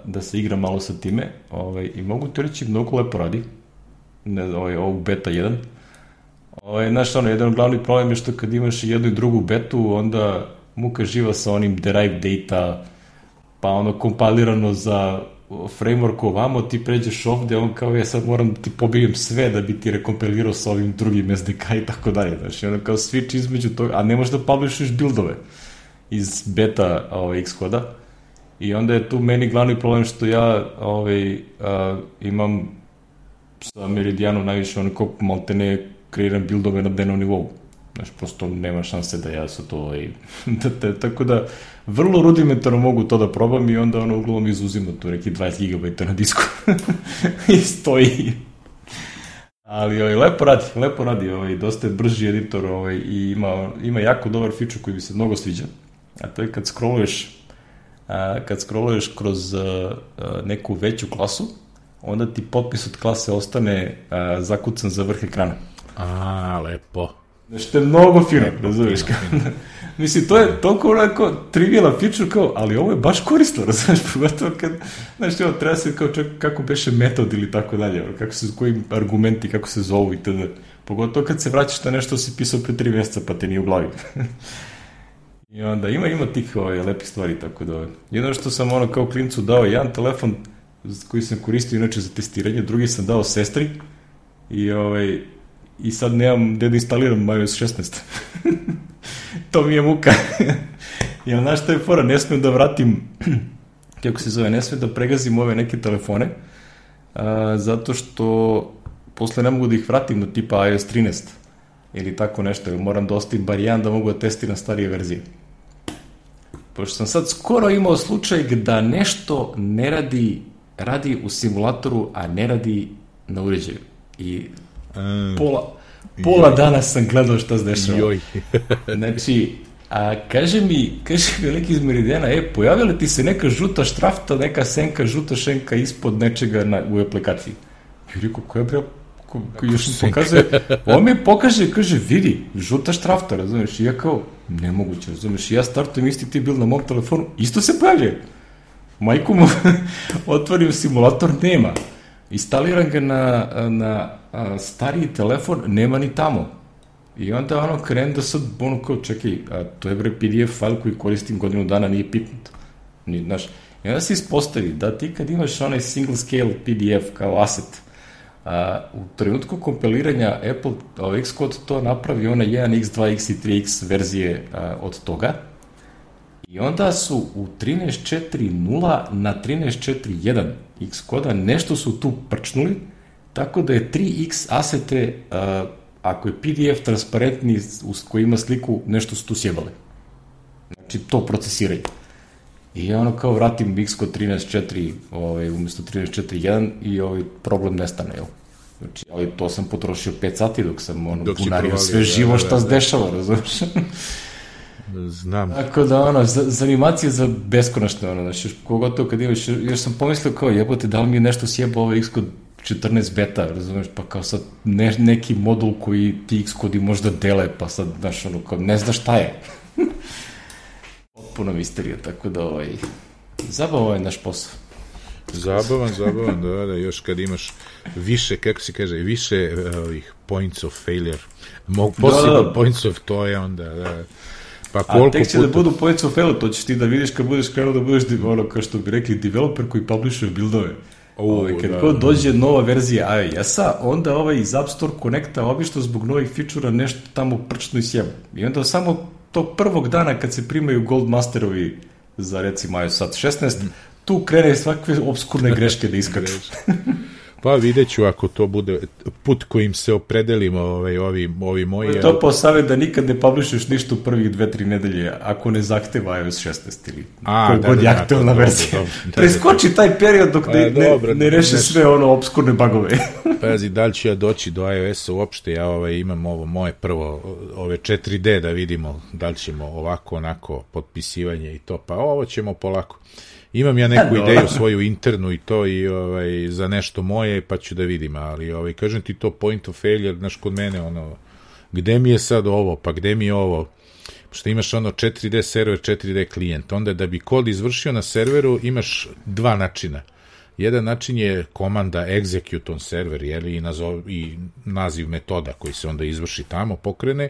da se igra malo sa time i mogu ti reći, mnogo lepo radi ovu beta 1. Znaš, jedan glavni problem je što kad imaš jednu i drugu betu, onda muka živa sa onim derived data, pa kompilirano za framework ovamo, ti pređeš ovde, on kao ja sad moram da ti pobijem sve da bi ti rekompilirao sa ovim drugim SDK i tako dalje, znači ono kao switch između toga, a ne možeš da publishuješ buildove iz beta Xcode-a i onda je tu meni glavni problem što ja imam sa Meridianom najviše onako maltene kreiram buildove na dnevnom nivou, znači prosto nema šanse da ja sa to tako da vrlo rudimentarno mogu to da probam i onda uglavnom izuzimo tu neki 20 GB na disku i stoji. Ali lepo radi, dosta je brži editor i ima jako dobar feature koji mi se mnogo sviđa, a to je kad scrolluješ kroz neku veću klasu, onda ti potpis od klase ostane zakucan za vrh ekrana. Lepo. Znači, to je mnogo fino, razumiješ? Mislim, to je toliko onako trivialan feature kao, ali ovo je baš korisno, razumiješ? Pogotovo kad, znači, treba se kao čak kako beše metod ili tako dalje, koji argumenti, kako se zovu i tada. Pogotovo kad se vraćaš na nešto si pisao pre 3 mjeseca pa te nije u glavi. I onda ima tih lepih stvari, tako da. Jedno što sam kao klincu dao jedan telefon koji sam koristio inače za testiranje, drugi sam dao sestri i sad nemam gde da instaliram iOS 16. To mi je muka. Jer znaš šta je fora, ne smijem da vratim, kako se zove, ne smijem da pregazim ove neke telefone, zato što posle ne mogu da ih vratim na tipa iOS 13 ili tako nešto, jer moram da ostavim bar jedan da mogu da testiram starije verzije. Pošto sam sad skoro imao slučaj da nešto ne radi u simulatoru, a ne radi na uređaju. I pola dana sam gledao šta se dešava. Znači, kaže mi lik iz Meridiana, pojavila ti se neka žuta štrafta, neka senka, žuta šenka ispod nečega u aplikaciji. I rekao, koja bre, još mi pokazuje, on mi pokaže, kaže, vidi, žuta štrafta, razumiješ, i ja kao, nemoguće, razumiješ, i ja startujem isti ti bil na mom telefonu, isto se pojavljaju. Majku mu, otvorim simulator, nema. Instaliram ga na stariji telefon, nema ni tamo. I onda krenem da sad, kao, čekaj, to je bre PDF file koji koristim godinu dana, nije pipnut. Znaš, i onda se ispostavi da ti kad imaš onaj single scale PDF kao asset, u trenutku kompiliranja Apple Xcode to napravi one 1x, 2x i 3x verzije od toga i onda su u 13.4.0 na 13.4.1 Xcode nešto su tu prčnuli, tako da je 3x asete, ako je PDF transparentni koji ima sliku, nešto su tu sjebali. Znači to procesiraju. I kao vratim Xcode 13.4 umjesto 13.4.1 i problem nestane, jel? Znači, ali to sam potrošio 5 sati dok sam bunario sve živo šta se dešava, razumiješ? Znam. Tako da, za animacije za beskonačne, znači, kogotovo kad imaš, još sam pomislio kao, jebote, da li mi je nešto sjebao ovaj Xcode 14 beta, razumiješ, pa kao sad neki modul koji ti Xcode možda dele, pa sad, znaš, kao, ne znaš šta je. Potpuno misterija, tako da zabavan je naš posao. Zabavan, da, još kad imaš više, kako se kaže, više points of failure, possible points of to je onda, da. Pa a tek će da budu points of failure, to ćeš ti da vidiš kad budeš krenuo da budeš, kao što bi rekli, developer koji publishuje buildove. Kad god dođe nova verzija iOS-a, onda iz App Store Connecta obično zbog novih fičura nešto tamo prčno i sjeba. I onda samo tog prvog dana kad se primaju Goldmasterovi za recimo iOS 16, tu krene svakve obskurne greške da iskaču. Pa vidjet ću ako to bude put kojim se opredelimo ovi moji... To po savjet da nikad ne publishuješ ništa u prvih 2-3 nedelje ako ne zahteva iOS 16 ili kogod je aktualna verzija. Preskoči taj period dok ne reše sve ono obskurne bugove. Pazi, da li ću ja doći do iOS-a uopšte, ja imam ovo moje prvo, ove 4D da vidimo da li ćemo ovako, onako, potpisivanje i to, pa ovo ćemo polako. Imam ja neku ideju svoju internu i to i za nešto moje, pa ću da vidim, ali kažem ti to point of failure, znaš, kod mene, gde mi je sad ovo, pa gde mi je ovo, što imaš 4D server, 4D klijent, onda da bi kod izvršio na serveru imaš dva načina. Jedan način je komanda execute on server, i naziv metoda koji se onda izvrši tamo, pokrene,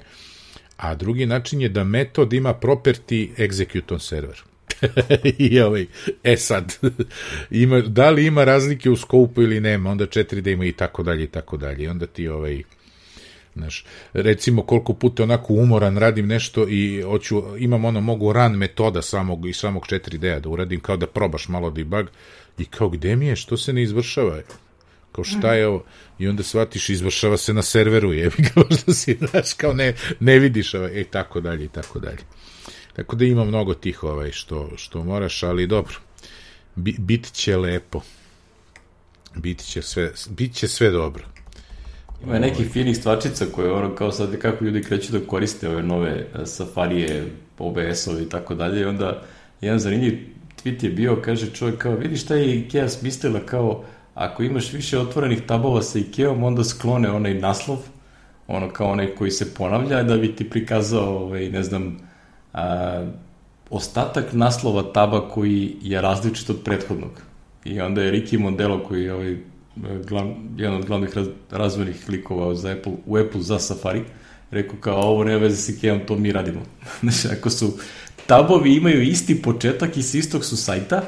a drugi način je da metod ima property execute on server. I sad, da li ima razlike u skopu ili nema, onda 4D ima i tako dalje i tako dalje. Onda ti znaš, recimo koliko puta onako umoran radim nešto i imam mogu run metoda iz samog 4D-a da uradim, kao da probaš malo debug i kao gde mi je, što se ne izvršava? Kao šta je ovo? I onda shvatiš, izvršava se na serveru, kao što si, znaš, kao ne vidiš, tako dalje i tako dalje. Tako da ima mnogo tih što moraš, ali dobro, bit će lepo. Bit će sve dobro. Ima nekih finih stvačica koje kao sad kako ljudi kreću da koriste ove nove Safarije, OBS-ove i tako dalje, i onda jedan zanimljiv tweet je bio, kaže čovjek kao, vidi šta je IKEA smislila, kao ako imaš više otvorenih tabova sa IKEA-om, onda sklone onaj naslov, kao onaj koji se ponavlja, da bi ti prikazao, ne znam, ostatak naslova taba koji je različit od prethodnog. I onda je Ricky Mondelo, koji je jedan od glavnih razvojnih klikova u Apple za Safari, rekao kao, ovo nema veze s IKEA-om, to mi radimo. Znači, ako su tabovi imaju isti početak i s istog su sajta,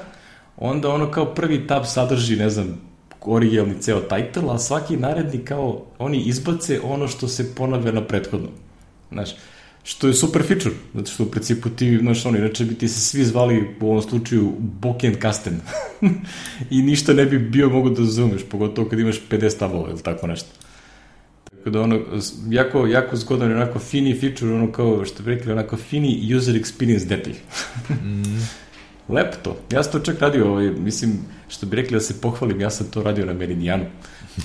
onda kao prvi tab sadrži, ne znam, originalni ceo title, a svaki naredni kao oni izbace ono što se ponavlja na prethodnom. Znaš, što je super feature, zato što u principu ti, znaš, inače bi ti se svi zvali u ovom slučaju Boken Kasten i ništa ne bi bio mogu da razumeš, pogotovo kad imaš 50 tabova ili tako nešto. Tako da jako zgodan je onako fini feature, kao što bi rekli, onako fini user experience detalj. Lepo to. Ja sam to čak radio, mislim, što bi rekli da se pohvalim, ja sam to radio na Meridijanu.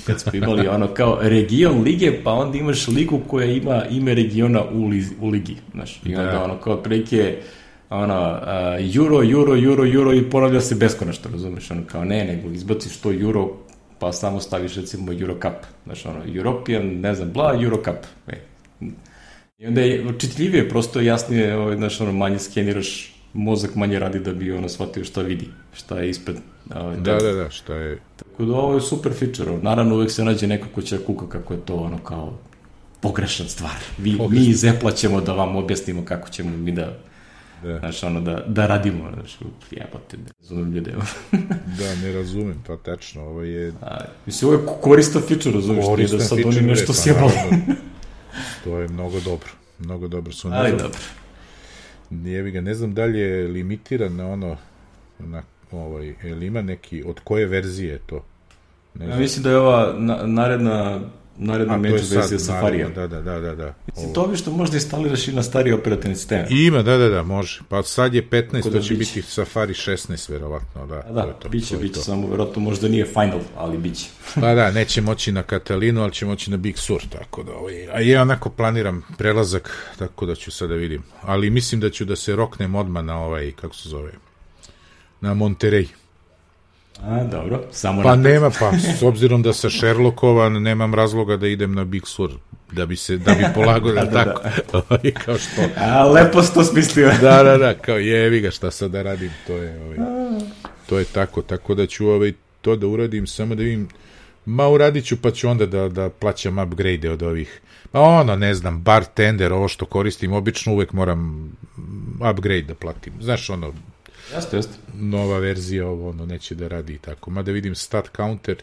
Kad smo imali kao region lige, pa onda imaš ligu koja ima ime regiona u ligi. Znaš, i onda kao prilike euro i ponavlja se beskonačno, razumeš? Kao nego izbaciš to euro, pa samo staviš recimo Euro Cup. Znaš, European, ne znam, Euro Cup. I onda je čitljivije, prosto jasnije, znaš, manje skeniraš, mozak manje radi da bi shvatio šta vidi, šta je ispred. Da, šta je. Tako da ovo je super feature. Naravno, uvek se nađe neko ko će kuka kako je to kao pogrešna stvar. Mi iz Apple ćemo da vam objasnimo kako ćemo mi da da radimo. Jebote, ne razumem ljude. Da, ne razumem, to tečno. Ovo je... Mislim, ovo je koristan feature, razumiješ, nije da sad oni nešto sjebali. To je mnogo dobro. Mnogo dobro su. Ali dobro. Ne znam da li je limitiran na ili ima neki, od koje verzije je to? Ja mislim da je ova naredna među verzija Safarija. Da. Mislim, to bi što možda instaliraš i na stariji operativni sistem. Ima, da, može. Pa sad je 15, to će biti Safari 16, verovatno. Da, biće, samo verovatno možda nije final, ali biće. Pa da, neće moći na Catalinu, ali će moći na Big Sur, tako da, a ja onako planiram prelazak, tako da ću sada vidim. Ali mislim da ću da se roknem odmah na kako se zove, na Monterey. Dobro, samo pa nema, s obzirom da sam Sherlockovan, nemam razloga da idem na Big Sur, da bi polagao, tako, kao što. Lepo si to smislio. Da, kao jevi ga, šta sad da radim, to je tako da ću to da uradim, samo da vidim, uradit ću, pa ću onda da plaćam upgrade od ovih, ne znam, bartender, ovo što koristim, obično uvek moram upgrade da platim, znaš, Jeste. Nova verzija, neće da radi tako. Mada vidim stat counter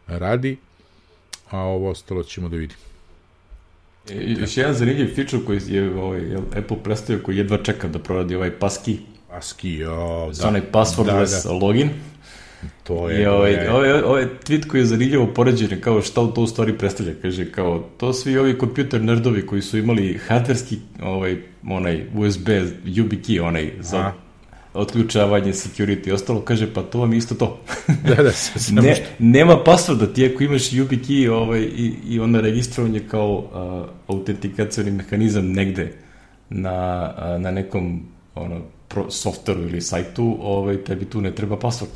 radi, a ovo ostalo ćemo da vidim. Još jedan zanimljiv feature koji je Apple predstavio, koji jedva čekam da proradi passkey. Passkey, onaj passwordless login. To je... I ovaj tweet koji je zanimljivo poređen, kao šta to u stvari predstavlja, kaže, kao, to svi ovi kompjuter nerdovi koji su imali hardverski, onaj USB, YubiKey, onaj, za otključavanje, security i ostalo, kaže, pa to vam je isto to. Da, nema passworda, ti ako imaš YubiKey i onda registrovanje kao autentikacioni mehanizam negde na nekom softveru ili sajtu, tebi tu ne treba password.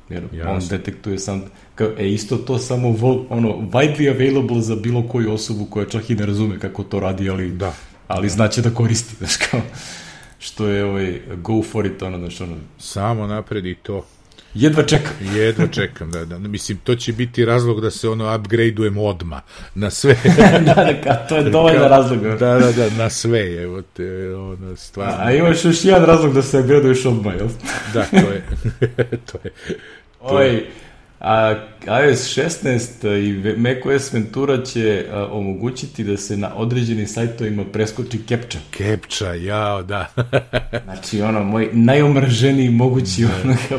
Jer on detektuje sam, isto to samo widely available za bilo koju osobu koja čak i ne razume kako to radi, ali znaće da koristi, znaš kao, što je go for it, znaš, samo napred i to. Jedva čekam, da. Mislim, to će biti razlog da se upgradeujemo odmah, na sve. To je dovoljno razlog. Da, na sve, evo te, stvarno. A imaš još jedan razlog da se upgradeuješ odmah, jel? Da, to je. iOS 16 i macOS Ventura će omogućiti da se na određenim sajtovima preskoči captcha. Captcha, jao, da. Znači, moj najomrženiji mogući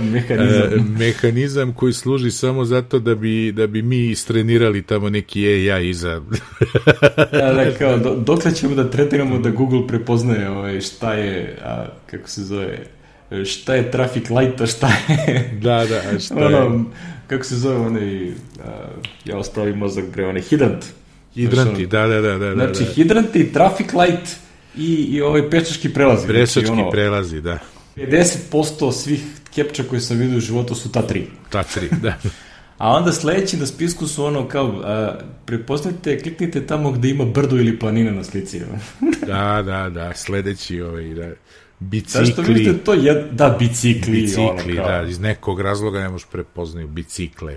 mehanizam. Mehanizam koji služi samo zato da bi mi istrenirali tamo neki AI iza. Kao, dokle ćemo da tretiramo da Google prepoznaje šta je, kako se zove, šta je traffic light, a šta je... Da, šta je... Kako se zove onaj, ja ospravim mozak bre, hidrant. Hidranti, da. Znači, hidranti, traffic light i pešački prelazi. Pešački prelazi, da. 50% svih captcha koje sam vidio u životu su ta tri. Ta tri, da. A onda sledeći na spisku su prepoznajte, kliknite tamo gde ima brdo ili planina na slici. Da, sledeći da... Bicikli. Da, što vidite, to je, bicikli, da, iz nekog razloga ne možeš prepoznaju bicikle,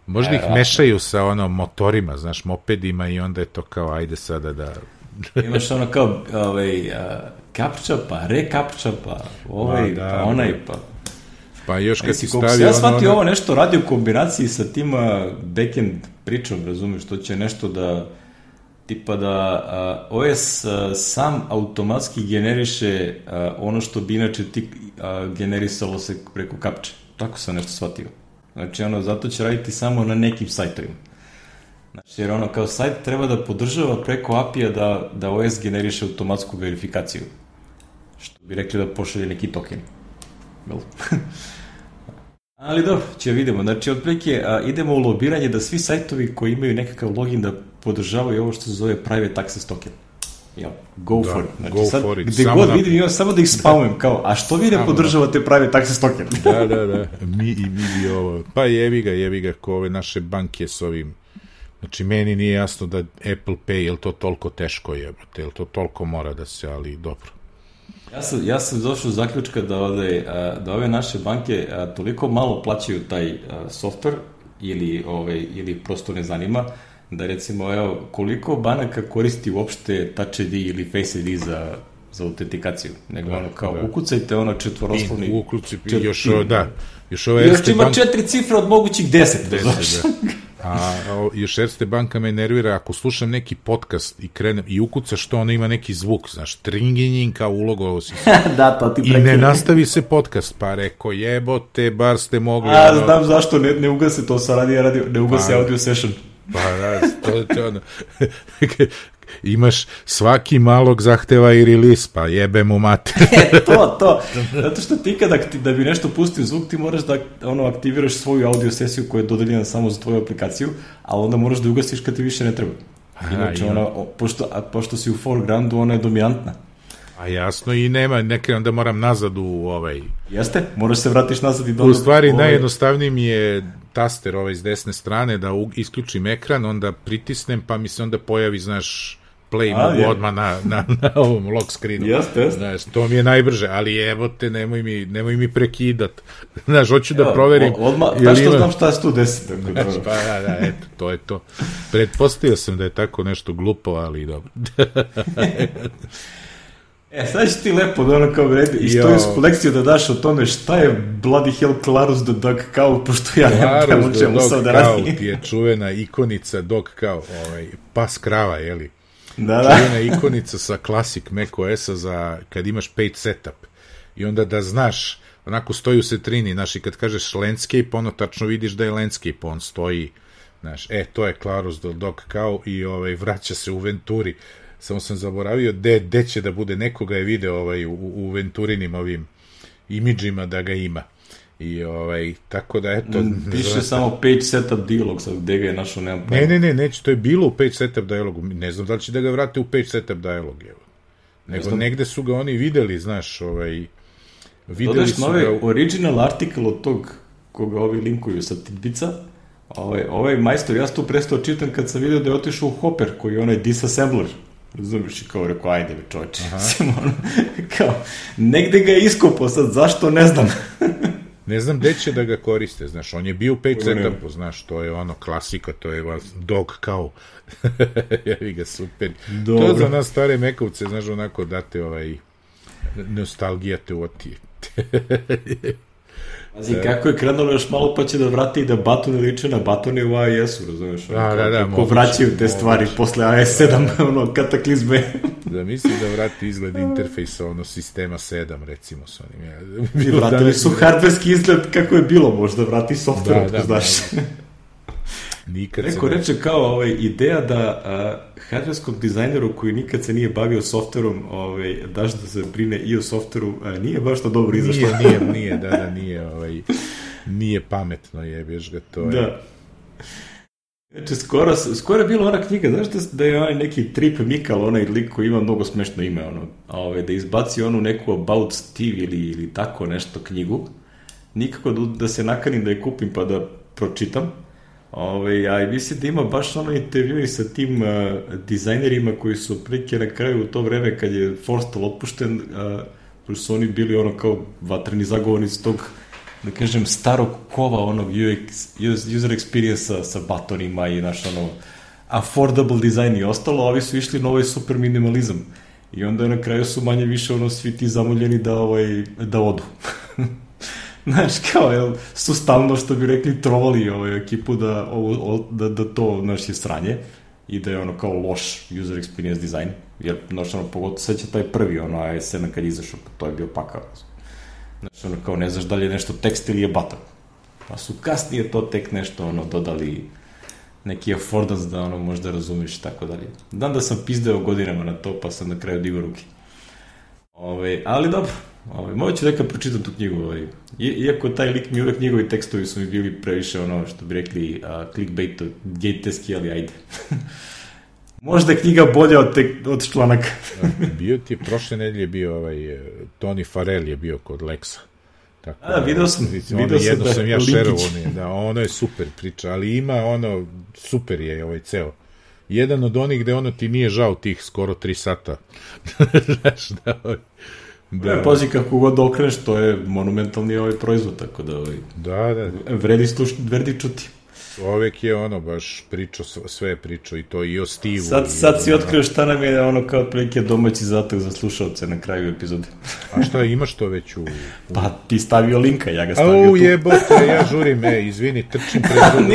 možda ih mešaju sa motorima, znaš, mopedima i onda je to kao, ajde sada da... Imaš kao, kapča, pa rekapča, pa pa onaj, pa... Pa još kad ti stavi ja shvatio ovo nešto radi u kombinaciji sa tima backend pričom, razumiješ, to će nešto da... tipa da OS sam automatski generiše ono što bi inače ti generisalo se preko kapče. Tako sam nešto shvatio. Znači, zato će raditi samo na nekim sajtovima. Znači, jer kao sajt treba da podržava preko API-a da OS generiše automatsku verifikaciju. Što bi rekli da pošalje neki token. Ali dobro, će vidimo. Znači, otprilike idemo u lobiranje da svi sajtovi koji imaju nekakav login da podržavaju ovo što se zove private access token. Go for it. Znači, sad, gde god vidim, imam samo da ih spamem, kao, a što vi ne podržavate private access token? Da. Mi bi ovo. Pa jevi ga, ko ove naše banke s ovim. Znači, meni nije jasno da Apple Pay, je li to toliko teško jebate, je li to toliko mora da se, ali dobro. Ja sam došao do zaključka da ove naše banke toliko malo plaćaju taj software ili prosto ne zanima, da recimo, koliko banaka koristi uopšte Touch ID ili Face ID za autentikaciju, nego kao ukucajte četvoroslovni... Još ima 4 cifre od mogućih 10, znaš. A još Erste banka me nervira, ako slušam neki podcast i krenem i ukucaš što ono ima neki zvuk, znaš, tringinjin kao ulogovao si se. Da, to ti prekine. I ne nastavi se podcast, pa reko, jebote, bar ste mogli... Znam zašto, ne ugase to sa radio, ne ugase audio session. Pa da, to je ono... Imaš svaki malog zahteva i release, pa jebe mu mater. To. Zato što ti da bi nešto pustio zvuk, ti moraš da aktiviraš svoju audio sesiju koja je dodeljena samo za tvoju aplikaciju, ali onda moraš da ugasiš kad ti više ne treba. Inače, pošto si u foregroundu, ona je dominantna. A jasno, i nema, onda moram nazad u ovaj... Jeste, moraš se vratiš nazad i do... U stvari, najjednostavniji mi je taster s desne strane, da isključim ekran, onda pritisnem, pa mi se onda pojavi, znaš, play mogu odmah na ovom lock screenu. Jeste. Znaš, to mi je najbrže, ali evo te, nemoj mi prekidat. Znaš, hoću da proverim... Znaš što znam šta se tu desi. Pa da, eto, to je to. Pretpostavio sam da je tako nešto glupo, ali dobro. Sad će ti lepo da kao vredi istorijsku lekciju da daš o tome šta je bloody hell Clarus the Dog Cow, pošto ja nemam prema čemu sam da radim. Clarus the Dog Cow ti je čuvena ikonica Dog Cow, pas krava, jeli? Da. Čuvena ikonica sa Classic macOS-a za kad imaš page setup. i onda da znaš, onako stoji u setrini, znaš, i kad kažeš landscape, ono tačno vidiš da je landscape, on stoji, znaš, to je Claros del Dog Cow i vraća se u Venturi. Samo sam zaboravio gde će da bude, nekoga je video u Venturinim ovim imidžima da ga ima. I tako da eto... Piše samo page setup dialog, sad gde ga je našao, nemam pojma. Neće, to je bilo u page setup dialogu, ne znam da li će da ga vrate u page setup dialog, evo. Nego negde su ga oni videli, znaš, videli su ga... Original article od tog koga ovi linkuju sa Tidbica, ovaj majstor, ja sam tu prestao čitam kad sam vidio da je otišao u Hopper, koji je onaj disassembler. Razumiješ, i kao rekao, ajde mi čovječe. Kao, negde ga je iskopao sad, zašto, ne znam. Ne znam gde će da ga koriste, znaš, on je bio u page setupu, znaš, to je ono klasika, to je Dog Cow. Jevi ga, super. Dobro. To za nas stare mekovce, znaš, onako date nostalgija te otije. Pazi, kako je krenulo još malo pa će da vrati i da batone liče na batone u AES-u, razumiješ? Kako vraćaju te stvari posle AES-7, kataklizme. Da misli da vrati izgled interfejsa, sistema 7, recimo, s onim. I vratili su hardverski izgled kako je bilo, možda vrati software, znaš. Neko reče kao ideja da hardverskom dizajneru koji nikad se nije bavio softverom daš da se brine i o softveru, nije baš to dobro izašlo. Nije, nije pametno, jebeš ga to. Da. Znači, skoro je bila ona knjiga, znaš da je onaj neki Trip Mikal, onaj lik koji ima mnogo smešno ime, da izbaci onu neku About Steve ili tako nešto knjigu, nikako da se nakanim da je kupim pa da pročitam. A mislim da ima baš intervjui sa tim dizajnerima koji su prike na kraju u to vreme kad je Forstall otpušten, koji su oni bili kao vatreni zagovornici tog, da kažem, starog kova onog user experience-a sa batonima i affordable design i ostalo, a ovi su išli na ovaj super minimalizam. I onda na kraju su manje više svi ti zamoljeni da odu. Znaš, kao, su stalno, što bi rekli, trovali ekipu da to, znaš, je sranje i da je kao loš user experience design, jer, znaš, pogotovo sad će taj prvi, AS7 kad izašao, to je bio pakao. Znaš, kao, ne znaš da li je nešto tekst ili je button. Pa su kasnije to tek nešto, dodali neki affordance da, možda razumiš i tako dalje. Dan da sam pizdeo godinama na to, pa sam na kraju digao ruke. Ali dobro. Moći neka pročitam tu knjigu. Iako taj lik mi uvek njegovi tekstovi su mi bili previše što bi rekli clickbait-teski, ali ajde. Možda je knjiga bolja od članaka. Bio ti je, prošle nedelje bio Tony Farrell je bio kod Lexa. Vidio sam. Jedno sam ja šerovo, ono je super priča, ali ima super je ceo. Jedan od onih gde ti nije žao tih skoro 3 sata. Znaš, Da. Pazi, kako god okreneš, to je monumentalni proizvod, tako da vredi čuti. Čovek je baš pričao, sve je pričao i to i o Steve-u. Sad si otkrio šta nam je kao prilike domaći zadatak za slušalce na kraju epizode. A šta, imaš to već u... Pa ti stavio linka, ja ga stavio tu. Jebote, ja žurim, izvini, trčim pred drugo.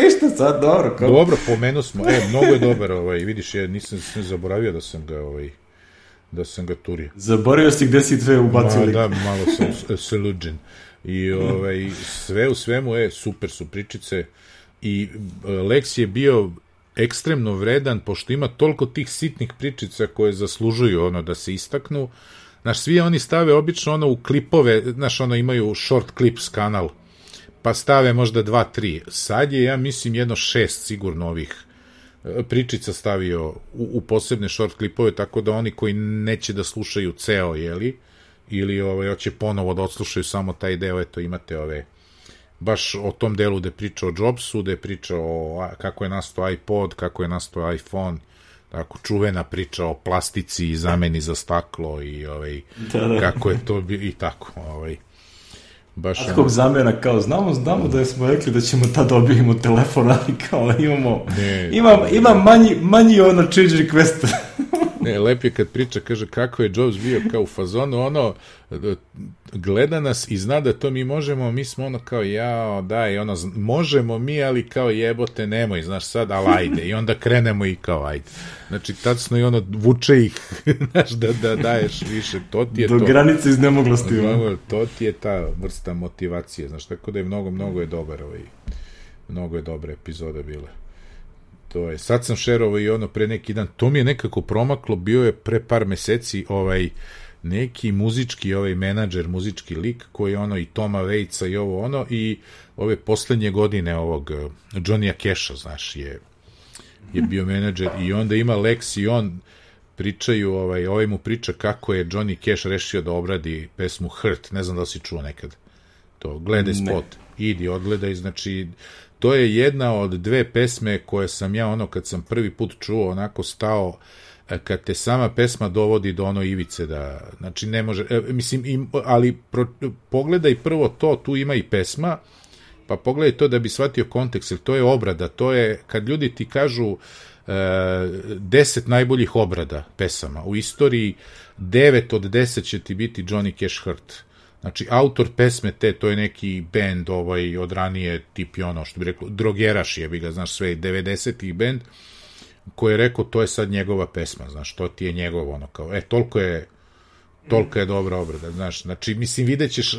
Ništa, sad dobro. Dobro, pomenu smo, mnogo je dobar, vidiš, ja nisam zaboravio da sam ga turio. Zaboravio si gde si sve ubacio link. Da, malo sam seluđen. I sve u svemu, super su pričice i Lex je bio ekstremno vredan, pošto ima toliko tih sitnih pričica koje zaslužuju da se istaknu. Znaš, svi oni stave obično u klipove, znaš, imaju short clips kanal, pa stave možda 2-3. Sad je, ja mislim, 6 sigurno ovih pričica stavio u posebne short klipove, tako da oni koji neće da slušaju ceo, ili hoće ponovo da odslušaju samo taj deo, imate baš o tom delu gde priča o Jobsu, gde priča o kako je nastao iPod, kako je nastao iPhone, tako čuvena priča o plastici i zameni za staklo i kako je to i tako, baš kakvog zamena, kao znamo da smo rekli da ćemo tad dobijemo telefon, ali kao imam manji change request. Ne, lep je kad priča, kaže kako je Jobs bio kao u fazonu, ono, gleda nas i zna da to mi možemo, mi smo ono kao, jao, daj, ono, možemo mi, ali kao jebote, nemoj, znaš sad, ali ajde, i onda krenemo i kao, ajde. Znači, tačno i ono, vuče ih, znaš, da daješ više, to ti je do to. Do granice iznemoglosti. To ti je ta vrsta motivacije, znaš, tako da je mnogo je dobar mnogo je dobra epizoda bila. To je, sad sam šerovao i ono pre neki dan, to mi je nekako promaklo, bio je pre par meseci neki muzički menadžer, muzički lik koji ono i Toma Waitsa i ovo ono i ove poslednje godine ovog Johnnya Casha, znaš, je bio menadžer i onda ima Lex i on pričaju, ovaj mu priča kako je Johnny Cash rešio da obradi pesmu Hurt, ne znam da li si čuo nekad to, gledaj spot, idi, odgledaj, znači to je jedna od dve pesme koje sam ja ono kad sam prvi put čuo onako stao, kad te sama pesma dovodi do ono ivice da, znači ne može, mislim, ali pogledaj prvo to, tu ima i pesma, pa pogledaj to da bi shvatio kontekst, jer to je obrada, to je kad ljudi ti kažu 10 najboljih obrada pesama u istoriji, 9 od 10 će ti biti Johnny Cash Hurt. Znači, autor pesme to je neki band od ranije, tipi ono, što bi rekao, drogeraš je, bi ga, znaš, sve 90-ih band, koji je rekao, to je sad njegova pesma, znaš, to ti je njegov, ono, kao, toliko je dobra obrada, znaš, znači, mislim, vidjet ćeš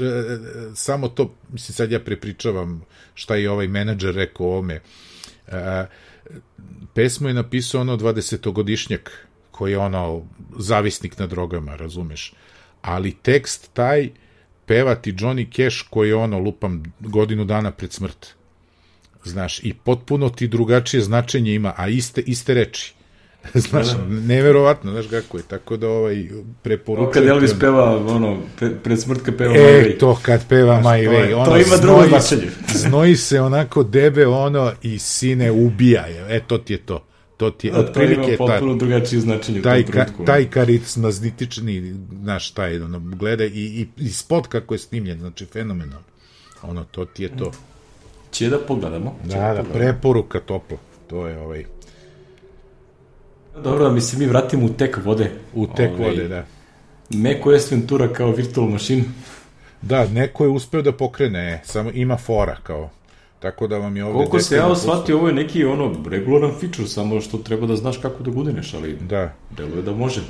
samo to, mislim, sad ja prepričavam šta je ovaj menadžer rekao o ovome, pesmu je napisao ono 20-godišnjak, koji je ono, zavisnik na drogama, razumeš, ali tekst taj pevati Johnny Cash koji je ono, lupam, godinu dana pred smrt. Znaš, i potpuno ti drugačije značenje ima, a iste reči. Znaš, neverovatno, znaš kako je, tako da preporučujem. Kad Elvis peva, ono, pred smrt kad peva My Way. To kad peva My Way. To ima drugo značenje. Znoji se onako debe, ono, i sine ubija. To ti je to. To ima potpuno drugačije značenje u tom trenutku. Taj karizmatični, znaš, taj, ono, gleda i spot kako je snimljen, znači, fenomenalno. Ono, to ti je to. Će da pogledamo. Da, preporuka topla. To je Dobro, da mi se mi vratimo u tek vode. U tek vode, da. MacOS Ventura kao virtual machine. Da, neko je uspeo da pokrene, samo ima fora kao. Tako da vam je ovde... Koliko se ja osvatio, ovo je neki regularan feature, samo što treba da znaš kako da gudineš, ali deluje da može.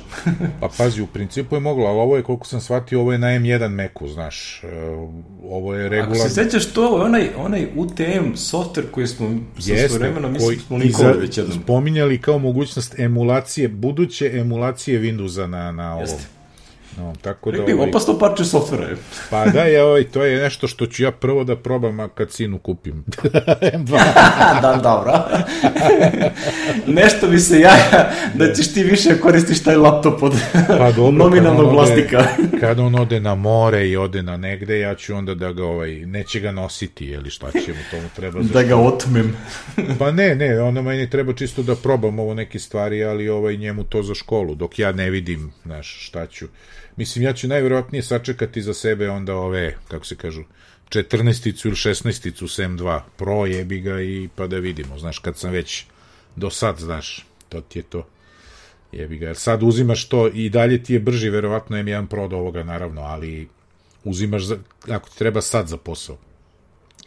Pa pazi, u principu je moglo, ali ovo je, koliko sam shvatio, ovo je na M1 Macu, znaš, ovo je regularan... Ako se sećaš to, onaj UTM software koji smo sa svoj vremena, mislim smo likovali već jednom. Spominjali kao mogućnost emulacije, buduće emulacije Windowsa na ovom. No, tako da opasno parče softvera je. Pa da, to je nešto što ću ja prvo da probam, a kad sinu kupim. Da, dobro. Nešto mi se jaja da ćeš ti više koristiš taj laptop od nominalnog vlasnika. Kad on ode na more i ode na negde, ja ću onda da ga, neće ga nositi, ili šta će mu tomu treba. Da ga otmem. Pa ne, ono meni treba čisto da probam ovo neke stvari, ali njemu to za školu, dok ja ne vidim, znaš, šta ću. Mislim, ja ću najvjerojatnije sačekati za sebe onda kako se kažu, 14-icu ili 16-icu s M2 Pro, jebi ga, i pa da vidimo, znaš, kad sam već do sad, znaš, to ti je to, jebi ga, jer sad uzimaš to i dalje ti je brži, verovatno M1 Pro od ovoga, naravno, ali uzimaš, ako ti treba sad za posao,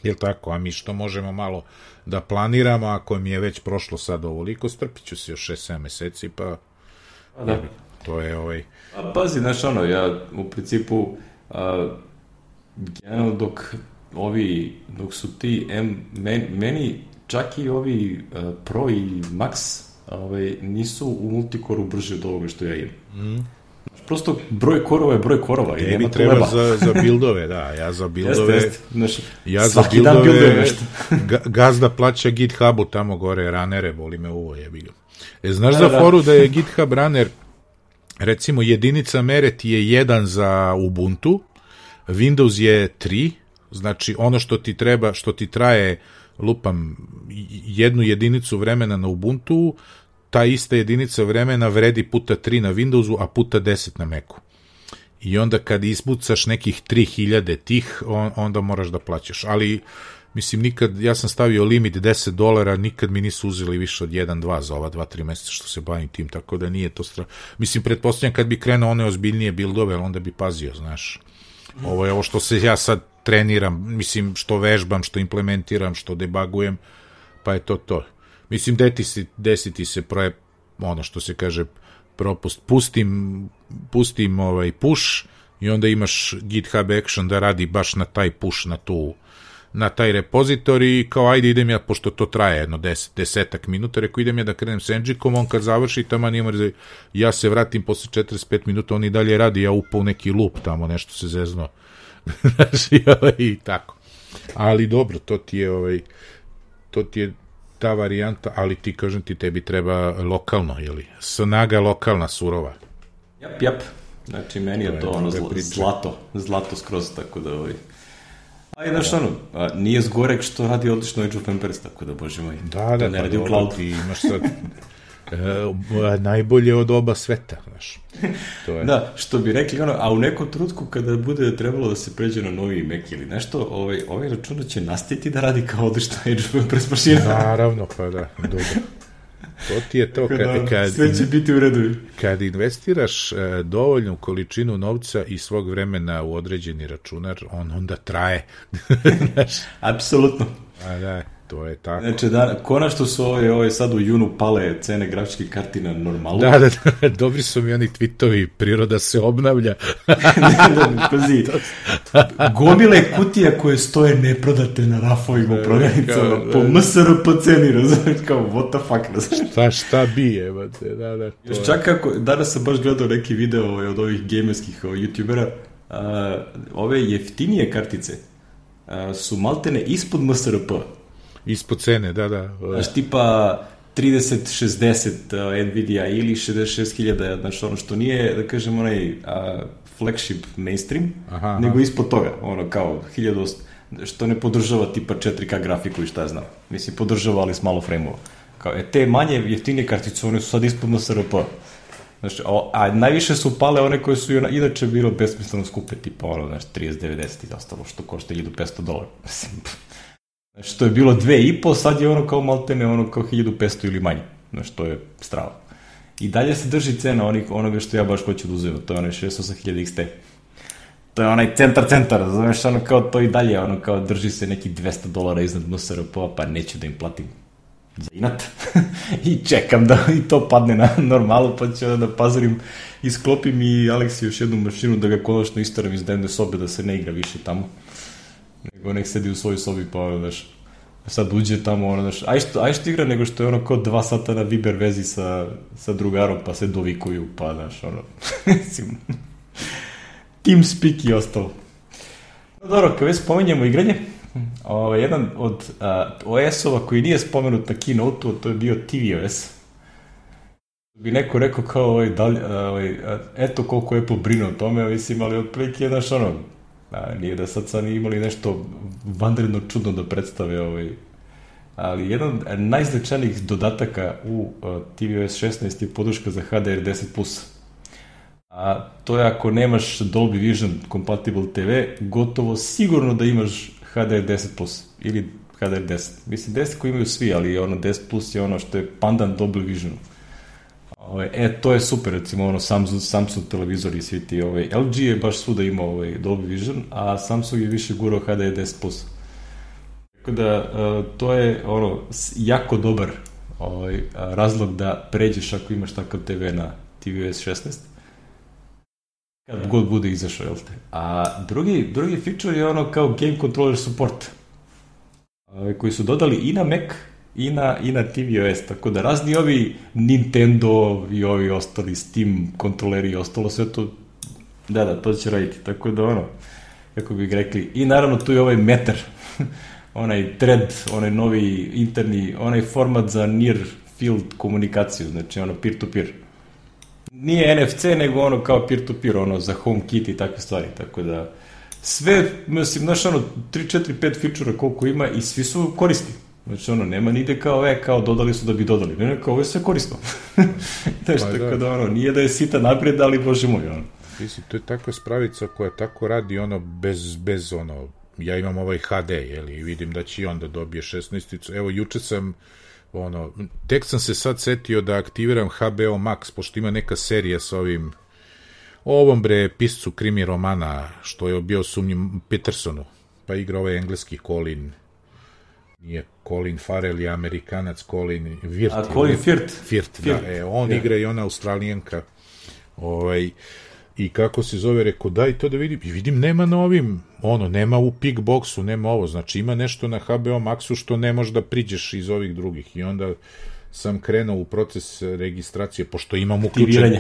jel tako, a mi što možemo malo da planiramo, ako mi je već prošlo sad ovoliko, strpit ću se još 6-7 meseci, pa da. To je Pazi, znaš, ja u principu dok su ti meni čak i ovi Pro i Max nisu u multikoru brže od ovoga što ja imam. Prosto broj korova je broj korova. Tebi treba za buildove, da, ja za buildove... Ja za svaki dan buildove nešto. Gazda plaća GitHubu tamo gore, ranere, boli me uvo, jebi ga. Znaš za foru da je GitHub runner, recimo jedinica mere ti je 1 za Ubuntu, Windows je 3, znači ono što ti treba, što ti traje, lupam, 1 jedinicu vremena na Ubuntu, ta ista jedinica vremena vredi puta 3 na Windowsu, a puta 10 na Macu. I onda kad ispucaš nekih 3000 tih, onda moraš da plaćaš. Ali Mislim, nikad, ja sam stavio limit $10, nikad mi nisu uzeli više od 1-2 za ova 2-3 meseca što se bavim tim, tako da nije to Mislim, pretpostavljam kad bi krenuo one ozbiljnije buildove, onda bi pazio, znaš. Ovo je ovo što se ja sad treniram, mislim, što vežbam, što implementiram, što debugujem, pa je to. Mislim, desiti se ono što se kaže propust, pustim push i onda imaš GitHub action da radi baš na taj push, na taj repozitorij i kao ajde idem ja, pošto to traje jedno 10 minuta, rekao idem ja da krenem s Nginxom, on kad završi tamo ja se vratim posle 45 minuta, on i dalje radi, ja upao u neki loop tamo, nešto se zezno. I tako. Ali dobro, to ti je ta varijanta, ali ti kažem ti, tebi treba lokalno, jeli? Snaga lokalna, surova. Jap. Znači, meni je to ono zlato skroz, tako da a i znaš nije zgorek što radi odlično Age of Empires, tako da, bože moj, da, ne radi u cloudu. Ti imaš sad najbolje od oba sveta, znaš. To je. Da, što bi rekli, a u nekom trutku kada bude trebalo da se pređe na novi Mac ili nešto, ovaj računar će nastaviti da radi kao odlično Age of Empires mašina. Naravno, pa da, dobro. To ti je to, sve će biti u redu. Kad investiraš dovoljnu količinu novca i svog vremena u određeni računar, on onda traje. Apsolutno. A da, to je tako. Znači, konačno su sad u junu pale cene grafičkih karti na normalu. Da, dobri su mi oni tweetovi, priroda se obnavlja. Pazi, gomile kutija koje stoje neprodate na rafovima u prodavnicama, po MSRP ceni, razumiješ, kao what the fuck, šta bi je, da. Još čak kako, danas sam baš gledao neki video od ovih gamerskih youtubera, ove jeftinije kartice su maltene ispod MSRP. Ispod cene, da. Znaš, tipa 3060 Nvidia ili 66.000, znači ono što nije, da kažem, onaj flagship mainstream, nego ispod toga, ono kao 1000, što ne podržava tipa 4K grafiku i šta ja znam. Mislim, podržava, ali s malo frame-ova. Kao, te manje jeftinije kartice, one su sad ispod MSRP. Znači, a najviše su pale one koje su inače bilo besmisleno skupe, tipa ono, znači 3090 i ostalo, što košta $1.500. Mislim, što je bilo 2,5, sad je ono kao maltene, ono kao 1.500 ili manje. Znači, to je strava. I dalje se drži cena onoga što ja baš hoću da uzem, to je onaj 68.000 XT. To je onaj centar, znaš, ono kao to i dalje, ono kao drži se neki $200 iznad MSRP-a, pa neću da im platim za inat. I čekam da i to padne na normalu, pa ću da pazorim i sklopim i Aleksi još jednu mašinu da ga konačno istaram iz dnevne sobe, da se ne igra više tamo. Nego nek sedi u svojoj sobi, pa ono, znaš, sad uđe tamo, ono, znaš, aj što igra, nego što je ono kao 2 sata na Viber vezi sa drugarom, pa se dovikuju, pa, znaš, ono, TeamSpeak i ostalo. No, dobro, kad već spominjemo igranje, jedan od OS-ova koji nije spomenut na Keynote-u, to je bio tvOS. Bi neko rekao kao, eto koliko Apple brine o tome, mislim, ali otprilike, znaš, ono, nije da sad nije imali nešto vanredno čudno da predstave, ali jedan najznačajnijih dodataka u tvOS 16 je podrška za HDR10+. A to je ako nemaš Dolby Vision compatible TV, gotovo sigurno da imaš HDR10+, ili HDR10. Mislim, 10 koji imaju svi, ali ono 10+ je ono što je pandan Dolby Visionu. To je super, recimo ono Samsung televizor i svi ti, LG je baš svuda imao Dolby Vision, a Samsung je više gurao HDR10+. Tako da, to je ono jako dobar razlog da pređeš ako imaš takav TV na tvOS 16. Kad god bude izašao, jel te? A drugi feature je ono kao game controller support, koji su dodali i na Mac i na tvOS, tako da razni ovi Nintendo i ovi ostali Steam kontroleri i ostalo sve to, da, to će raditi, tako da ono, kako bih rekli, i naravno tu je ovaj Matter, onaj thread, onaj novi interni, onaj format za near field komunikaciju, znači ono peer-to-peer. Nije NFC, nego ono kao peer-to-peer, ono za HomeKit i takve stvari, tako da sve, mislim, znaš ono, 3, 4, 5 feature-a koliko ima i svi su korisni. Znači ono, nema nide kao dodali su da bi dodali, ne, kao ovo je sve korisno. Znaš, tako da ono, nije da je sita naprijed, ali bože moj, ono. Mislim, to je takva spravica koja tako radi ono bez ono ja imam ovaj HD, i vidim da će i onda dobije 16. Evo, juče sam, tek sam se sad setio da aktiviram HBO Max, pošto ima neka serija sa ovom piscu krimi romana, što je bio sumnjim Petersonu, pa igra ovaj engleski nije Colin Farrell, je Amerikanac, Colin Firth. A Colin Firth, da, on igra i ona Australijanka, i kako se zove, rekao, daj to da vidim, i vidim, nema na ovim, nema u Pickboxu, nema ovo, znači ima nešto na HBO Maxu što ne možeš da priđeš iz ovih drugih, i onda sam krenuo u proces registracije, pošto imam uključeno,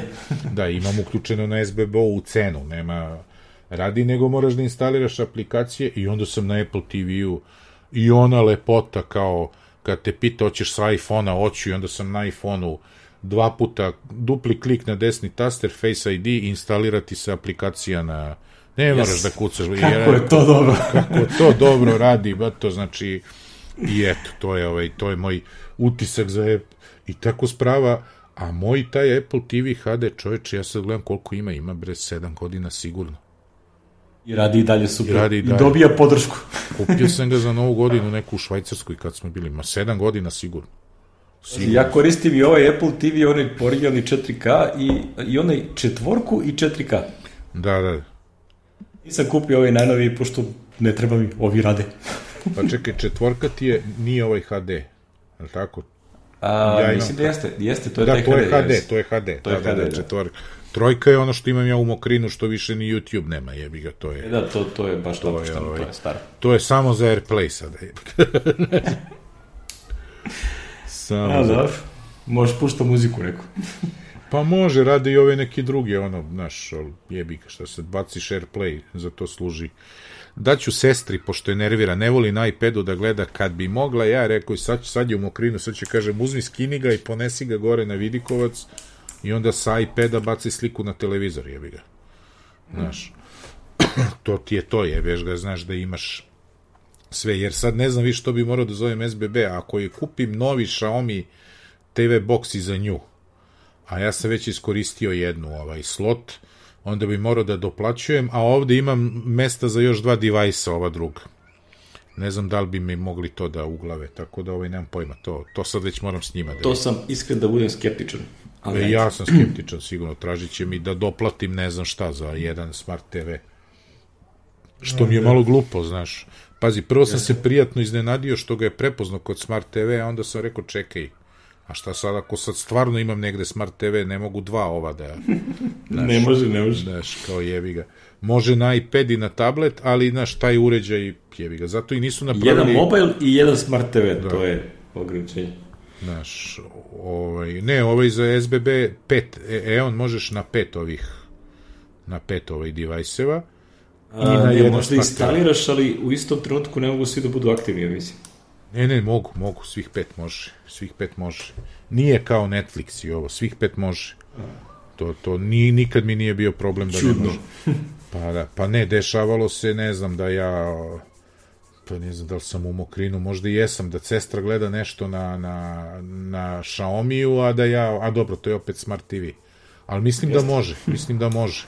da, imam uključeno na SBB u cenu, nema radi, nego moraš da instaliraš aplikacije, i onda sam na Apple TV-u, i ona lepota, kao, kad te pita, hoćeš sa iPhone-a, hoću, i onda sam na iPhone-u 2 puta, dupli klik na desni taster, Face ID, instalirati se aplikacija na... Ne moraš da kucaš. Kako je to dobro. Kako to dobro radi, to znači... I eto, to je moj utisak za Apple. I tako sprava, a moj taj Apple TV HD, čoveče, ja sad gledam koliko ima 7 godina sigurno. I radi i dalje super. I dobija podršku. Kupio sam ga za Novu godinu neku u Švajcarskoj kad smo bili, 7 godina sigurno. Ja koristim i ovaj Apple TV, onaj originalni 4K i onaj 4 i 4K. Da. Nisam kupio ovaj najnoviji, pošto ne treba mi, ovi rade. Pa čekaj, 4 ti nije ovaj HD, je li tako? Mislim da jeste, to je taj HD. To je HD, 4. 3 je ono što imam ja u Mokrinu, što više ni YouTube nema, jebi ga, to je... Da, to je baš napušteno, to je staro. To je samo za AirPlay sada. Da, možeš pušta muziku neku. Pa može, rade i ove neki drugi, jebi ga, šta se baciš AirPlay, za to služi. Daću sestri, pošto je nervira, ne voli na iPadu da gleda, kad bi mogla, ja rekao, sad je u Mokrinu, sad će kažem, uzmi, skini ga i ponesi ga gore na vidikovac, i onda sa iPada baci sliku na televizor, jebi ga. Znaš, to ti je to, jebeš ga, znaš da imaš sve, jer sad ne znam više što bi morao da zovem SBB, ako je kupim novi Xiaomi TV box i za nju, a ja sam već iskoristio jednu slot, onda bi morao da doplaćujem, a ovde imam mesta za još 2 devajsa, ova druga. Ne znam da li bi mi mogli to da uglave, tako da nemam pojma, to sad već moram s njima da... To sam iskren da budem skeptičan. Ja sam skeptičan, sigurno, tražit će mi da doplatim ne znam šta za jedan Smart TV. Što mi je malo glupo, znaš. Pazi, prvo sam se prijatno iznenadio što ga je prepoznao kod Smart TV, a onda sam rekao, čekaj, a šta sad, ako sad stvarno imam negde Smart TV, ne mogu 2 ova da... Ne može. Znaš, kao jebi ga. Može na iPad i na tablet, ali, znaš, taj uređaj jebi ga. Zato i nisu napravili... Jedan mobil i jedan Smart TV, to je ograničenje. Znaš, ovaj za SBB 5, on možeš na 5 devajseva, možda instaliraš, ali u istom trenutku ne mogu svi da budu aktivni, ja mislim. Ne, mogu, svih 5 može. Nije kao Netflix i ovo, svih 5 može. To nikad mi nije bio problem da ne može. Pa ne, dešavalo se, ne znam da ja... Pa ne znam da li sam u Mokrinu, možda i jesam, da sestra gleda nešto na Xiaomiju, a dobro, to je opet Smart TV. Ali mislim da može.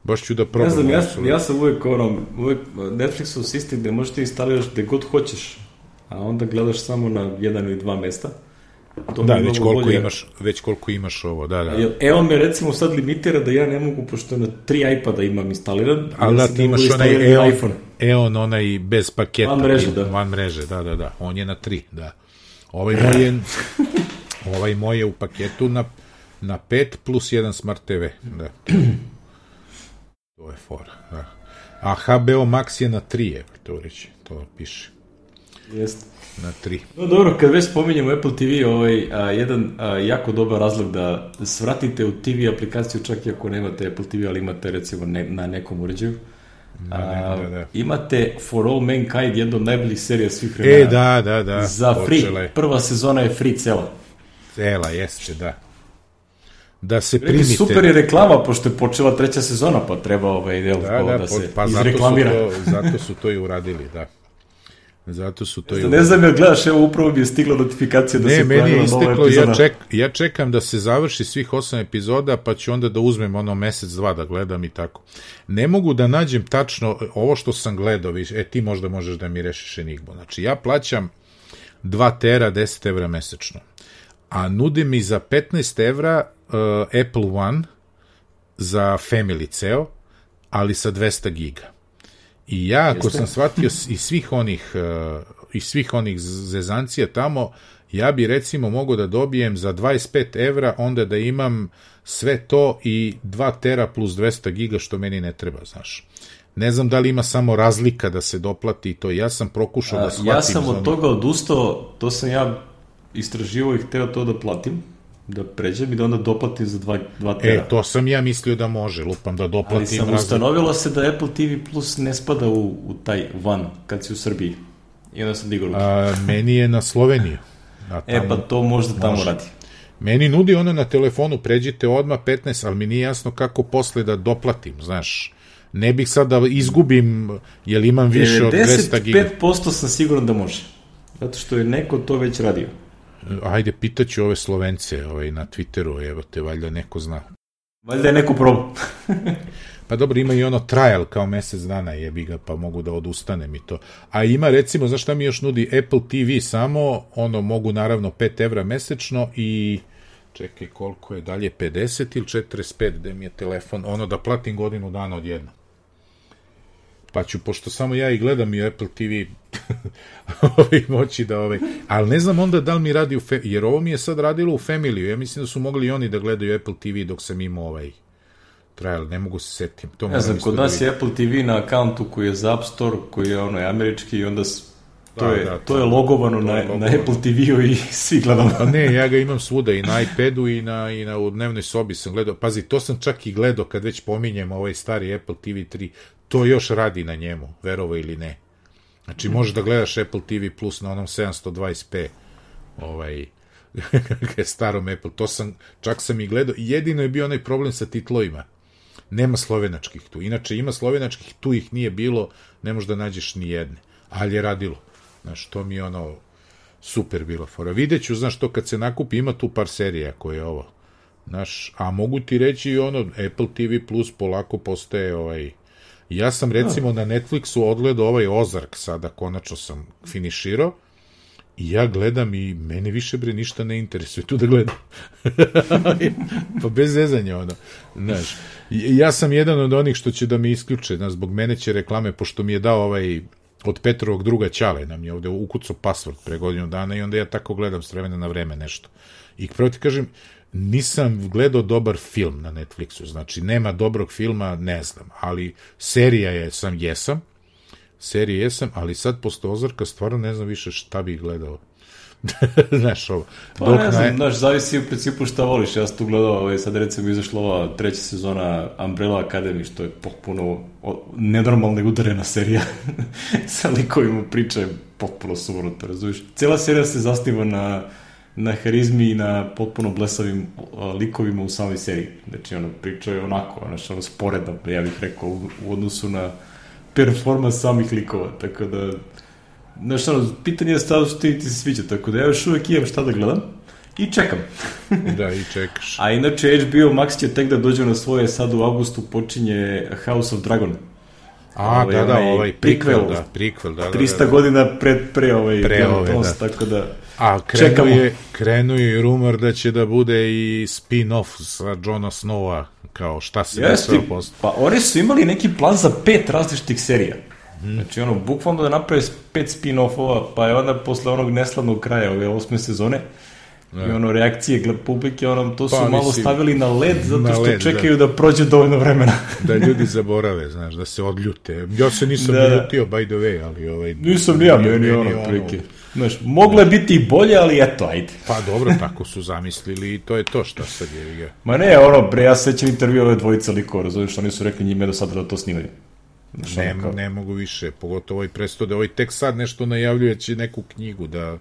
Baš ću da probam. Ne znam, ja sam uvek Netflixov sistem gde možeš ti instaliraš gde god hoćeš, a onda gledaš samo na 1 ili 2 mesta. Već koliko imaš ovo, da. On me recimo sad limitira da ja ne mogu, pošto na 3 iPada imam instaliran, ali da ti imaš onaj bez paketa. Van mreže, da. On je na 3, da. Ovaj moj je u paketu na 5 plus 1 Smart TV, da. To je fora, da. A HBO Max je na 3, to reći, to piše. Jeste. Na 3. No dobro, kad već spominjemo Apple TV, jedan jako dobar razlog da svratite u TV aplikaciju, čak i ako nemate Apple TV, ali imate recimo na nekom uređaju. Imate For All Mankind, jednu od najboljih serija svih vremena. Da. Za free. Prva sezona je free cela. Cela, jeste, da. Da se primite. Super je reklama, pošto je počela 3. sezona, pa treba da se izreklamira. Zato su to i uradili, da. Zato su to ne znam jel gledaš, evo upravo mi je stigla notifikacija da se pojavila nova epizoda. Ja čekam da se završi svih 8 epizoda, pa ću onda da uzmem mesec, dva da gledam i tako. Ne mogu da nađem tačno ovo što sam gledao, ti možda možeš da mi rešiš enigmu. Znači, ja plaćam 2 tera 10 evra mesečno, a nudi mi za 15 evra Apple One za family ceo, ali sa 200 giga. I ja, ako sam shvatio iz svih onih zezancija tamo, ja bi recimo mogao da dobijem za 25 evra, onda da imam sve to i 2 tera plus 200 giga, što meni ne treba, znaš. Ne znam da li ima samo razlika da se doplati to. Ja sam prokušao da shvatim. Ja sam od toga odustao, to sam ja istraživao i hteo to da platim, da pređem i da onda doplatim za 2 tera. To sam ja mislio da može, lupam da doplatim. Ali sam ustanovilo se da Apple TV Plus ne spada u taj One kad si u Srbiji. I onda sam digao ruke. Meni je na Sloveniju. Pa to možda tamo radi. Meni nudi ono na telefonu, pređite odmah 15, ali mi nije jasno kako posle da doplatim, znaš. Ne bih sad da izgubim, jer imam više od 200 giga. 95% sam siguran da može. Zato što je neko to već radio. Ajde, pitaću ove Slovence na Twitteru, evo te, valjda neko zna. Valjda je neko probao. Pa dobro, ima i ono trial kao mesec dana, jebi ga, pa mogu da odustanem i to. A ima, recimo, znaš šta mi još nudi Apple TV samo, mogu naravno 5 evra mesečno i čekaj, koliko je dalje, 50 ili 45, gde mi je telefon, da platim godinu dana odjedno. Pa ću, pošto samo ja i gledam i Apple TV, moći da ali ne znam onda da li mi radi jer ovo mi je sad radilo u Family, ja mislim da su mogli i oni da gledaju Apple TV dok sam imao trial, ne mogu se setim. Ne znam, kod nas je Apple TV na akauntu koji je za App Store, koji je američki i onda to je logovano na Apple TV-u i svi gledamo. Pa ne, ja ga imam svuda, i na iPadu i u dnevnoj sobi sam gledao. Pazi, to sam čak i gledao kad već pominjem stari Apple TV 3, to još radi na njemu, verovo ili ne. Znači, možeš da gledaš Apple TV Plus na onom 720p starom Apple, čak sam i gledao, jedino je bio onaj problem sa titlovima. Nema slovenačkih tu. Inače, ima slovenačkih, tu ih nije bilo, ne možeš da nađeš ni jedne. Ali je radilo. Znaš, to mi je super bilo fora. Videću, znaš, to kad se nakupi, ima tu par serija koje je ovo. Znaš, a mogu ti reći i Apple TV Plus polako postaje Ja sam, recimo, na Netflixu odgledao Ozark sada, konačno sam finiširao, i ja gledam i mene više ništa ne interesuje tu da gledam. Pa bez zezanja, znaš. Ja sam jedan od onih što će da me isključe, znaš, zbog mene će reklame, pošto mi je dao od Petrovog druga Ćale, nam je ovde ukucao password pre godinu dana i onda ja tako gledam s vremena na vreme nešto. I prvo ti kažem, nisam gledao dobar film na Netflixu, znači nema dobrog filma, ne znam, ali serija jesam, ali sad posle Ozarka stvarno ne znam više šta bih gledao. Znaš, Pa ne znam, znaš, zavisi u principu šta voliš. Ja sam tu gledao, sad recimo izašla ova 3. sezona Umbrella Academy, što je potpuno nenormalna i udarena serija. Sa likovima priča je potpuno suvrnuto, razumiješ? Cijela serija se zasniva na harizmi i na potpuno blesavim likovima u samoj seriji. Znači, priča je onako, sporedno, ja bih rekao, u odnosu na performans samih likova, tako da, znaš, pitanje je stav što ti se sviđa, tako da ja još uvek imam šta da gledam i čekam. Da, i čekaš. A inače, HBO Max će tek da dođe na svoje, sad u avgustu počinje House of Dragon. Prequel, 300 godina pre Game of Thrones, tako da a krenuo je rumor da će da bude i spin-off sa Jona Snowa, kao šta se desilo posle. Pa oni su imali neki plan za 5 različitih serija. Znači, bukvalno da naprave 5 spin-offova, pa je onda posle onog neslavnog kraja ove 8. sezone i reakcije publike, to su malo stavili na led, zato što čekaju da prođe dovoljno vremena. Da ljudi zaborave, znaš, da se odljute. Ja se nisam ljutio, by the way, ali nisam ni ja, meni prike. Znaš, moglo je biti i bolje, ali eto, ajde. Pa dobro, tako su zamislili i to je to šta sad je. Ma ne, ja sećam intervju ove dvojice likova, razumiješ, oni su rekli njime do sada da to snimaju. Ne mogu više, pogotovo prestode, tek sad nešto najavljujući neku knjigu, da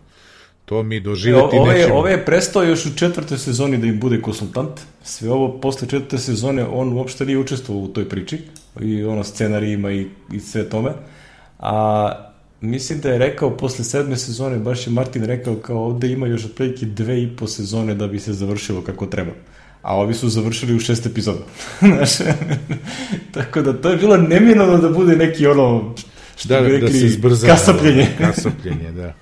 to mi doživjeti nećemo. Ove je prestao još u 4. sezoni da im bude konsultant, sve ovo posle 4. sezone on uopšte nije učestvovao u toj priči, i scenarijima i sve tome, a mislim da je rekao posle 7. sezone, baš je Martin rekao kao ovde ima još otprilike 2,5 sezone da bi se završilo kako treba. A ovi su završili u 6 epizoda. Znaš, tako da to je bilo neminovno da bude neki ono, što bi rekli, da se zbrza, kasapljenje. Kasapljenje, da.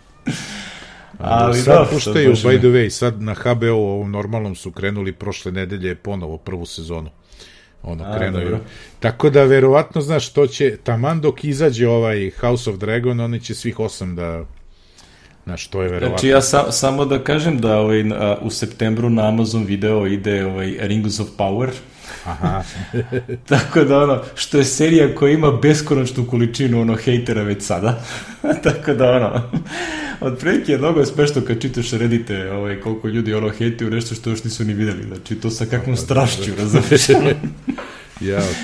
Ali sad puštaju, by the way, sad na HBO ovom normalnom su krenuli prošle nedelje ponovo prvu sezonu. Krenuju. Tako da, verovatno, znaš, to će, taman dok izađe ovaj House of Dragon, oni će svih 8 da, znaš, to je verovatno. Znači, ja samo da kažem da u septembru na Amazon Video ide Rings of Power. Aha. Tako da, što je serija koja ima beskonačnu količinu, hejtera već sada. Tako da, otprilike je mnogo smešno kad čitaš Reddite, koliko ljudi hejtuju nešto što još nisu ni videli. Znači, to sa kakvom strašću, razumiješ?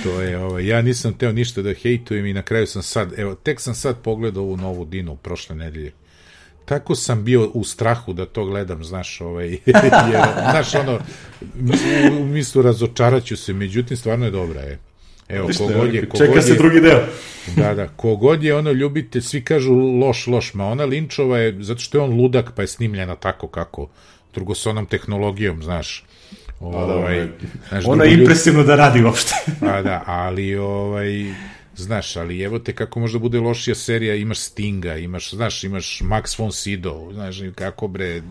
To je, ja nisam teo ništa da hejtujem i na kraju sam sad, tek sam sad pogledao ovu novu Dinu prošle nedelje. Tako sam bio u strahu da to gledam, znaš, jer, znaš, u mislu razočaraću se, međutim, stvarno je dobra, Evo, čeka se drugi deo. Da, kogod je ljubite, svi kažu loš, ma ona Linčova je, zato što je on ludak, pa je snimljena tako kako, drugo s onom tehnologijom, znaš. Ona je impresivno da radi uopšte. Ali, znaš, ali evo te kako možda bude lošija serija, imaš Stinga, imaš Max von Sydow, znaš, kako bre,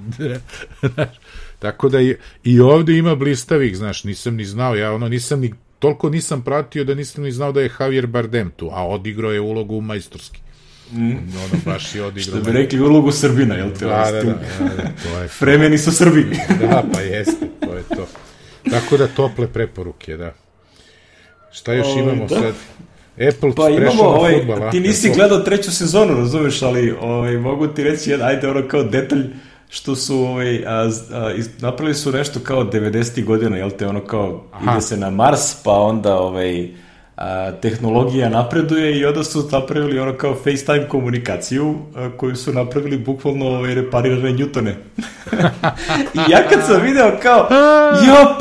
tako da i ovde ima blistavih, znaš, nisam ni znao, toliko nisam pratio da nisam ni znao da je Javier Bardem tu, a odigrao je ulogu majstorski. Baš je odigrao. Što bi rekli ulogu Srbina, jel te? Da, Fremeni su Srbi. Da, pa jeste, to je to. Tako da tople preporuke, da. Šta još imamo sad? Apple prešao na fudbal. Ti nisi gledao 3. sezonu, razumeš, ali mogu ti reći, ajde kao detalj, što su napravili su nešto kao 90. godina, jel te, kao ide se na Mars, pa onda tehnologija napreduje i onda su napravili kao FaceTime komunikaciju koju su napravili bukvalno reparirane Newtone. I ja kad sam video kao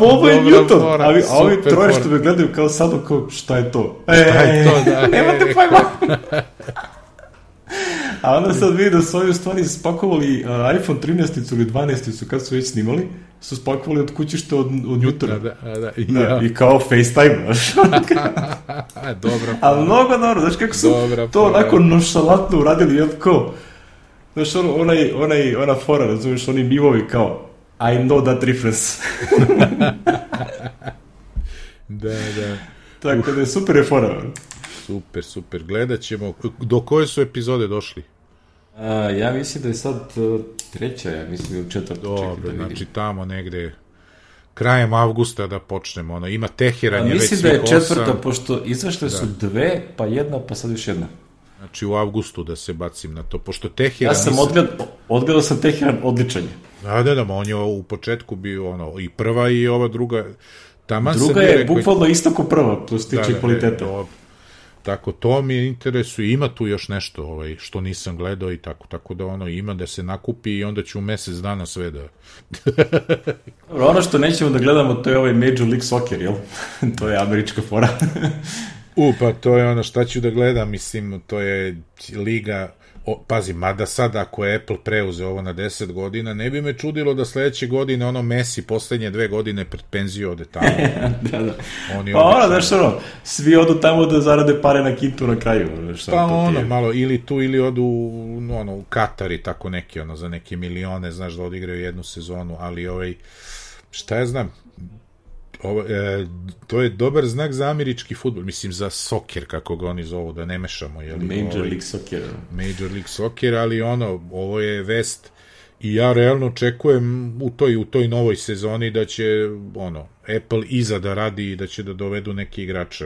ovo je Newton, a ovi troje što me gledaju kao sad, kao šta je to? Nemate pojma. A onda sad vidim da su ovi u stvari spakovali iPhone 13 ili 12 kad su već snimali, su spakovali od kućišta od Newtona. I kao FaceTime, znaš. Dobra. Ali mnogo dobro, znaš kako su to onako nonšalantno uradili, jel ko? Znaš, ona fora, razumiješ, oni mivovi kao I know that reference. Da. Tako da je super je fora. Super, gledat ćemo. Do koje su epizode došli? Ja mislim da je sad 3. ja mislim u 4. Dobro, znači tamo negde krajem avgusta da počnemo. Ima Teheran je već svih 8. Mislim da je 4. pošto izašle su 2, pa 1, pa sad još 1. Znači u avgustu da se bacim na to, pošto Teheran... Ja sam odgledao sam Teheran odličan je. Da, on je u početku bio i prva i ova druga. Druga je bukvalno isto ko prva, plus tiče kvaliteta. Tako, to mi interesuje, ima tu još nešto što nisam gledao i tako da ima da se nakupi i onda ću u mesec dana sve da... Ono što nećemo da gledamo, to je Major League Soccer, jel? To je američka fora. Pa to je šta ću da gledam, mislim, to je liga... Pazi, mada sad ako je Apple preuzeo ovo na 10 godina, ne bi me čudilo da sledeće godine Messi poslednje 2 godine pred penziju ode tamo. Da. Pa svi odu tamo da zarade pare na kintu na kraju. Pa malo, ili tu, ili odu u Katar i tako neki, za neke milione, znaš, da odigraju jednu sezonu, ali šta ja znam, to je dobar znak za američki fudbal, mislim za soker, kako ga oni zovu, da ne mešamo. Major League Soccer. Major League Soccer, ali ovo je vest i ja realno očekujem u toj novoj sezoni da će Apple iza da radi i da će da dovedu neke igrače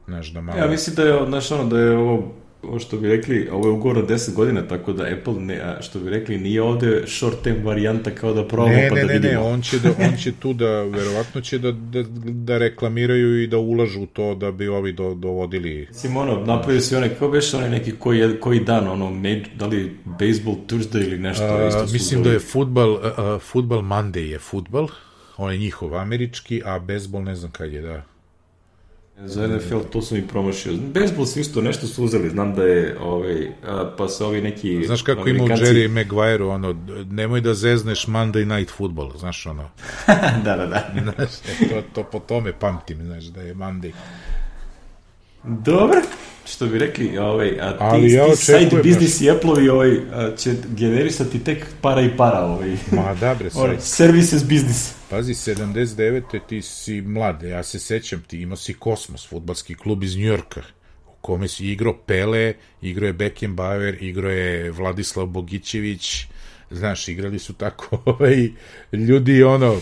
znaš, da malo... Ja mislim da je, da je ovo što bi rekli, ovo je ugovor od 10 godina, tako da Apple, što bi rekli, nije ovde short term varijanta kao da probamo pa da vidimo. Ne, on će tu verovatno će da reklamiraju i da ulažu u to da bi ovi dovodili... Mislim, napravio si kao već neki koji dan, da li Baseball Thursday ili nešto. Mislim da je Football Monday je futbal, on je njihov američki, a baseball ne znam kad je, da. Za NFL to su mi promašio. Bejsbol su isto nešto su uzeli, znam da je, pa se ovi neki... Znaš kako ima u Jerry Maguire, ono, nemoj da zezneš Monday Night Football, znaš, ono... da. Znaš, to po tome pamtim, znaš, da je Monday. Dobro, što bi rekli, ti side business i Apple-ovi će generisati tek para. Ma da, bre, services business. Pazi, 79. ti si mlad, ja se sećam, ti imao si Kosmos, fudbalski klub iz Njujorka, u kome si igrao Pele, igrao je Beckenbauer, igrao je Vladislav Bogićević, znaš, igrali su tako ljudi, ono,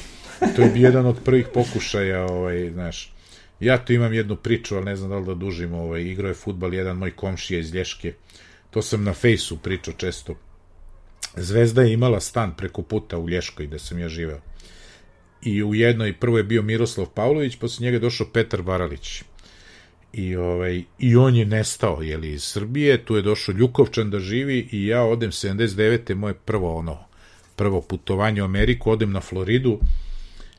to je bi jedan od prvih pokušaja, znaš. Ja tu imam jednu priču, ali ne znam da li da dužim, igrao je fudbal jedan moj komšija iz Lješke, to sam na fejsu pričao često. Zvezda je imala stan preko puta u Lješkoj gde sam ja živeo. I u jednoj, prvo je bio Miroslav Pavlović, posle njega je došao Petar Baralić. I on je nestao, iz Srbije, tu je došao Ljukovčan da živi i ja odem 79. moje prvo putovanje u Ameriku, odem na Floridu,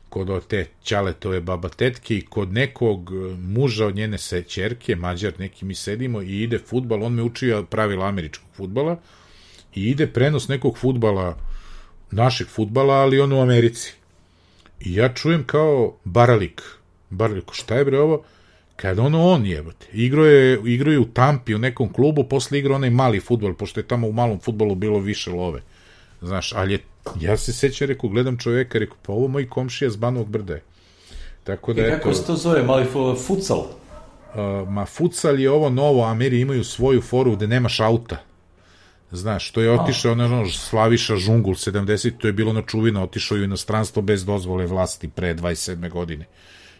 kod te Ćaletove baba tetke i kod nekog muža od njene ćerke, Mađar neki, mi sedimo i ide fudbal, on me učio pravila američkog fudbala i ide prenos nekog fudbala, našeg fudbala, ali on u Americi. I ja čujem kao Baralik, šta je bre ovo? Kad on jebate, igrao je u Tampi u nekom klubu, posle igrao onaj mali fudbal, pošto je tamo u malom fudbalu bilo više love. Znaš, ali ja se sećam, rekao, gledam čoveka, rekao, pa ovo moj komšija z Banovog Brda je. Tako da, i kako se to zove, mali futsal? Futsal je ovo novo, Ameri imaju svoju foru gde nemaš auta. Znaš, to je otišao, Slaviša Žungul, 70, to je bilo na čuvino, otišao u inostranstvo bez dozvole vlasti pre 27. godine.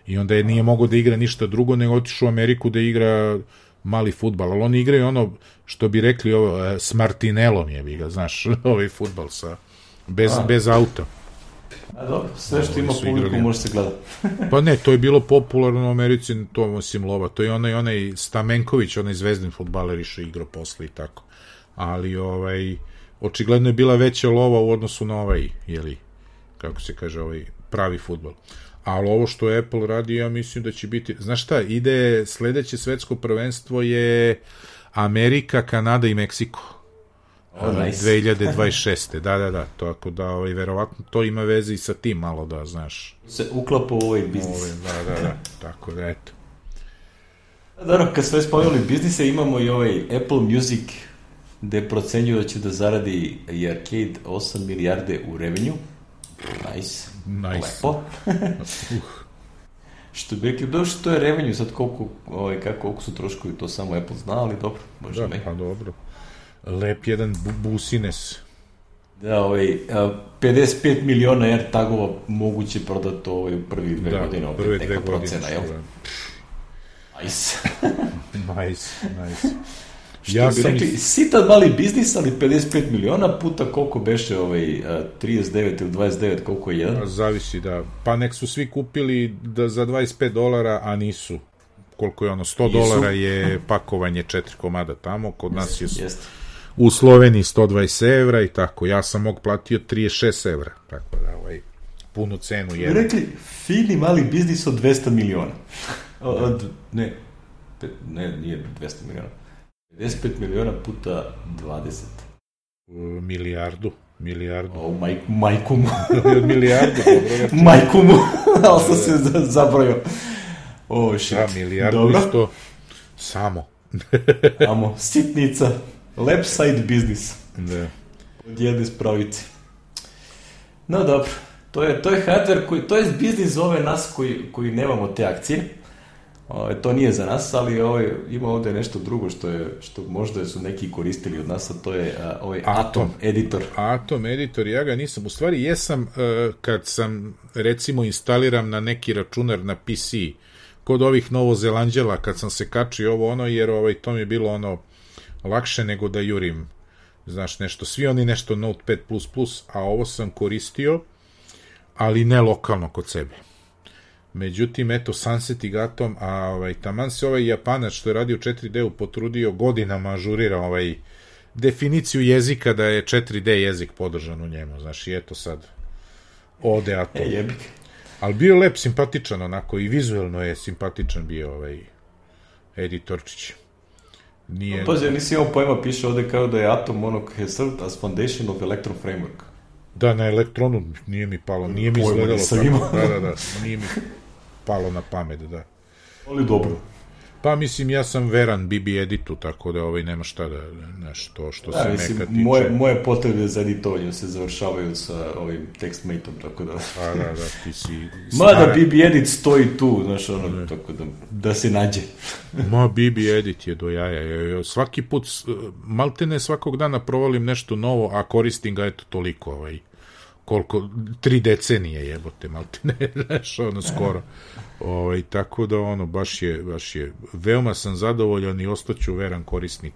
I onda nije mogao da igra ništa drugo, nego otišao u Ameriku da igra mali fudbal, ali oni igraju ono, što bi rekli, s Martinelom znaš, ovaj fudbal bez auta. A dobro, sve što ima publiku može se gledati. Pa ne, to je bilo popularno u Americi, to osim lova, to je onaj Stamenković, onaj zvezdin fudbaler išao igrao posle i tako. Ali očigledno je bila veća lova u odnosu na kako se kaže, pravi fudbal. Ali ovo što Apple radi, ja mislim da će biti, znaš šta, ide sledeće svetsko prvenstvo je Amerika, Kanada i Meksiko. Nice. 2026. Da, tako da verovatno to ima veze i sa tim malo, da, znaš. Se uklapa u ovaj biznis. Da, tako da, eto. Dobro, kad sve spomenuli biznise, imamo i Apple Music, gde procenjuju da će da zaradi i Arcade 8 milijarde u revenue. Nice. Lepo. Što bi rekli, dobro što to je revenue, sad koliko su troškovi, to samo Apple zna, ali dobro, možda me. Pa dobro. Lep jedan busines. Da, 55 miliona AirTagova moguće prodati u prvi dve godine. Prve dve godine. Nice. Nice. Što bi rekli, sitan mali biznis, ali 55 miliona puta koliko beše 39 ili 29, koliko je jedan? Zavisi, da. Pa nek su svi kupili za $25, a nisu. Koliko je $100 je pakovanje 4 komada tamo, kod nas je u Sloveniji 120 evra i tako. Ja sam platio 36 evra, tako da punu cenu je. Rekli, fini mali biznis od 200 miliona. Ne, nije 200 miliona. 55 miliona puta 20. Milijardu. Majku mu. Milijardu, dobro. Majku mu, ali sam se zabrojao. Shit. Da, milijardu isto. Samo. Sitnica. Lep side biznis. Da. Od jedne spravice. No dobro, to je hardware, to je biznis za ove nas koji nemamo te akcije. To nije za nas, ali ima ovdje nešto drugo što možda su neki koristili od nas, a to je Atom editor. Atom editor, ja ga nisam. U stvari jesam kad sam, recimo, instaliram na neki računar na PC, kod ovih Novozelanđela, kad sam se kačio jer to mi je bilo lakše nego da jurim, znaš, nešto, svi oni nešto Notepad++, a ovo sam koristio, ali ne lokalno kod sebe. Međutim, eto, Sunset i Gatom, a taman se Japanac što je radio 4D-u potrudio godinama ažurira definiciju jezika da je 4D jezik podržan u njemu, znaš, i eto sad ode Atom. Jebik. Ali bio lep, simpatičan onako, i vizuelno je simpatičan bio editorčić. Nije... Pazi, ja nisi imao pojma, piše ovde kao da je Atom ono has served as foundation of Electron framework. Da, na Elektronu nije mi palo, nije mi izgledalo tako. Da, nije mi palo na pamet, da. Ali dobro. Pa mislim, ja sam veran BB editu, tako da nema šta da, nešto što se mislim, neka tiče. Moje potrebe za editovanjem se završavaju sa ovim TextMate-om, tako da... Da, ti si... Mada BB edit stoji tu, znaš, ono, tako da se nađe. Ma, BB edit je do jaja. Svaki put, maltene svakog dana provalim nešto novo, a koristim ga, eto, toliko, koliko, 3 decenije jebote, maltene, znaš, ono, skoro. Tako da, ono, baš je, veoma sam zadovoljan i ostaću veran korisnik.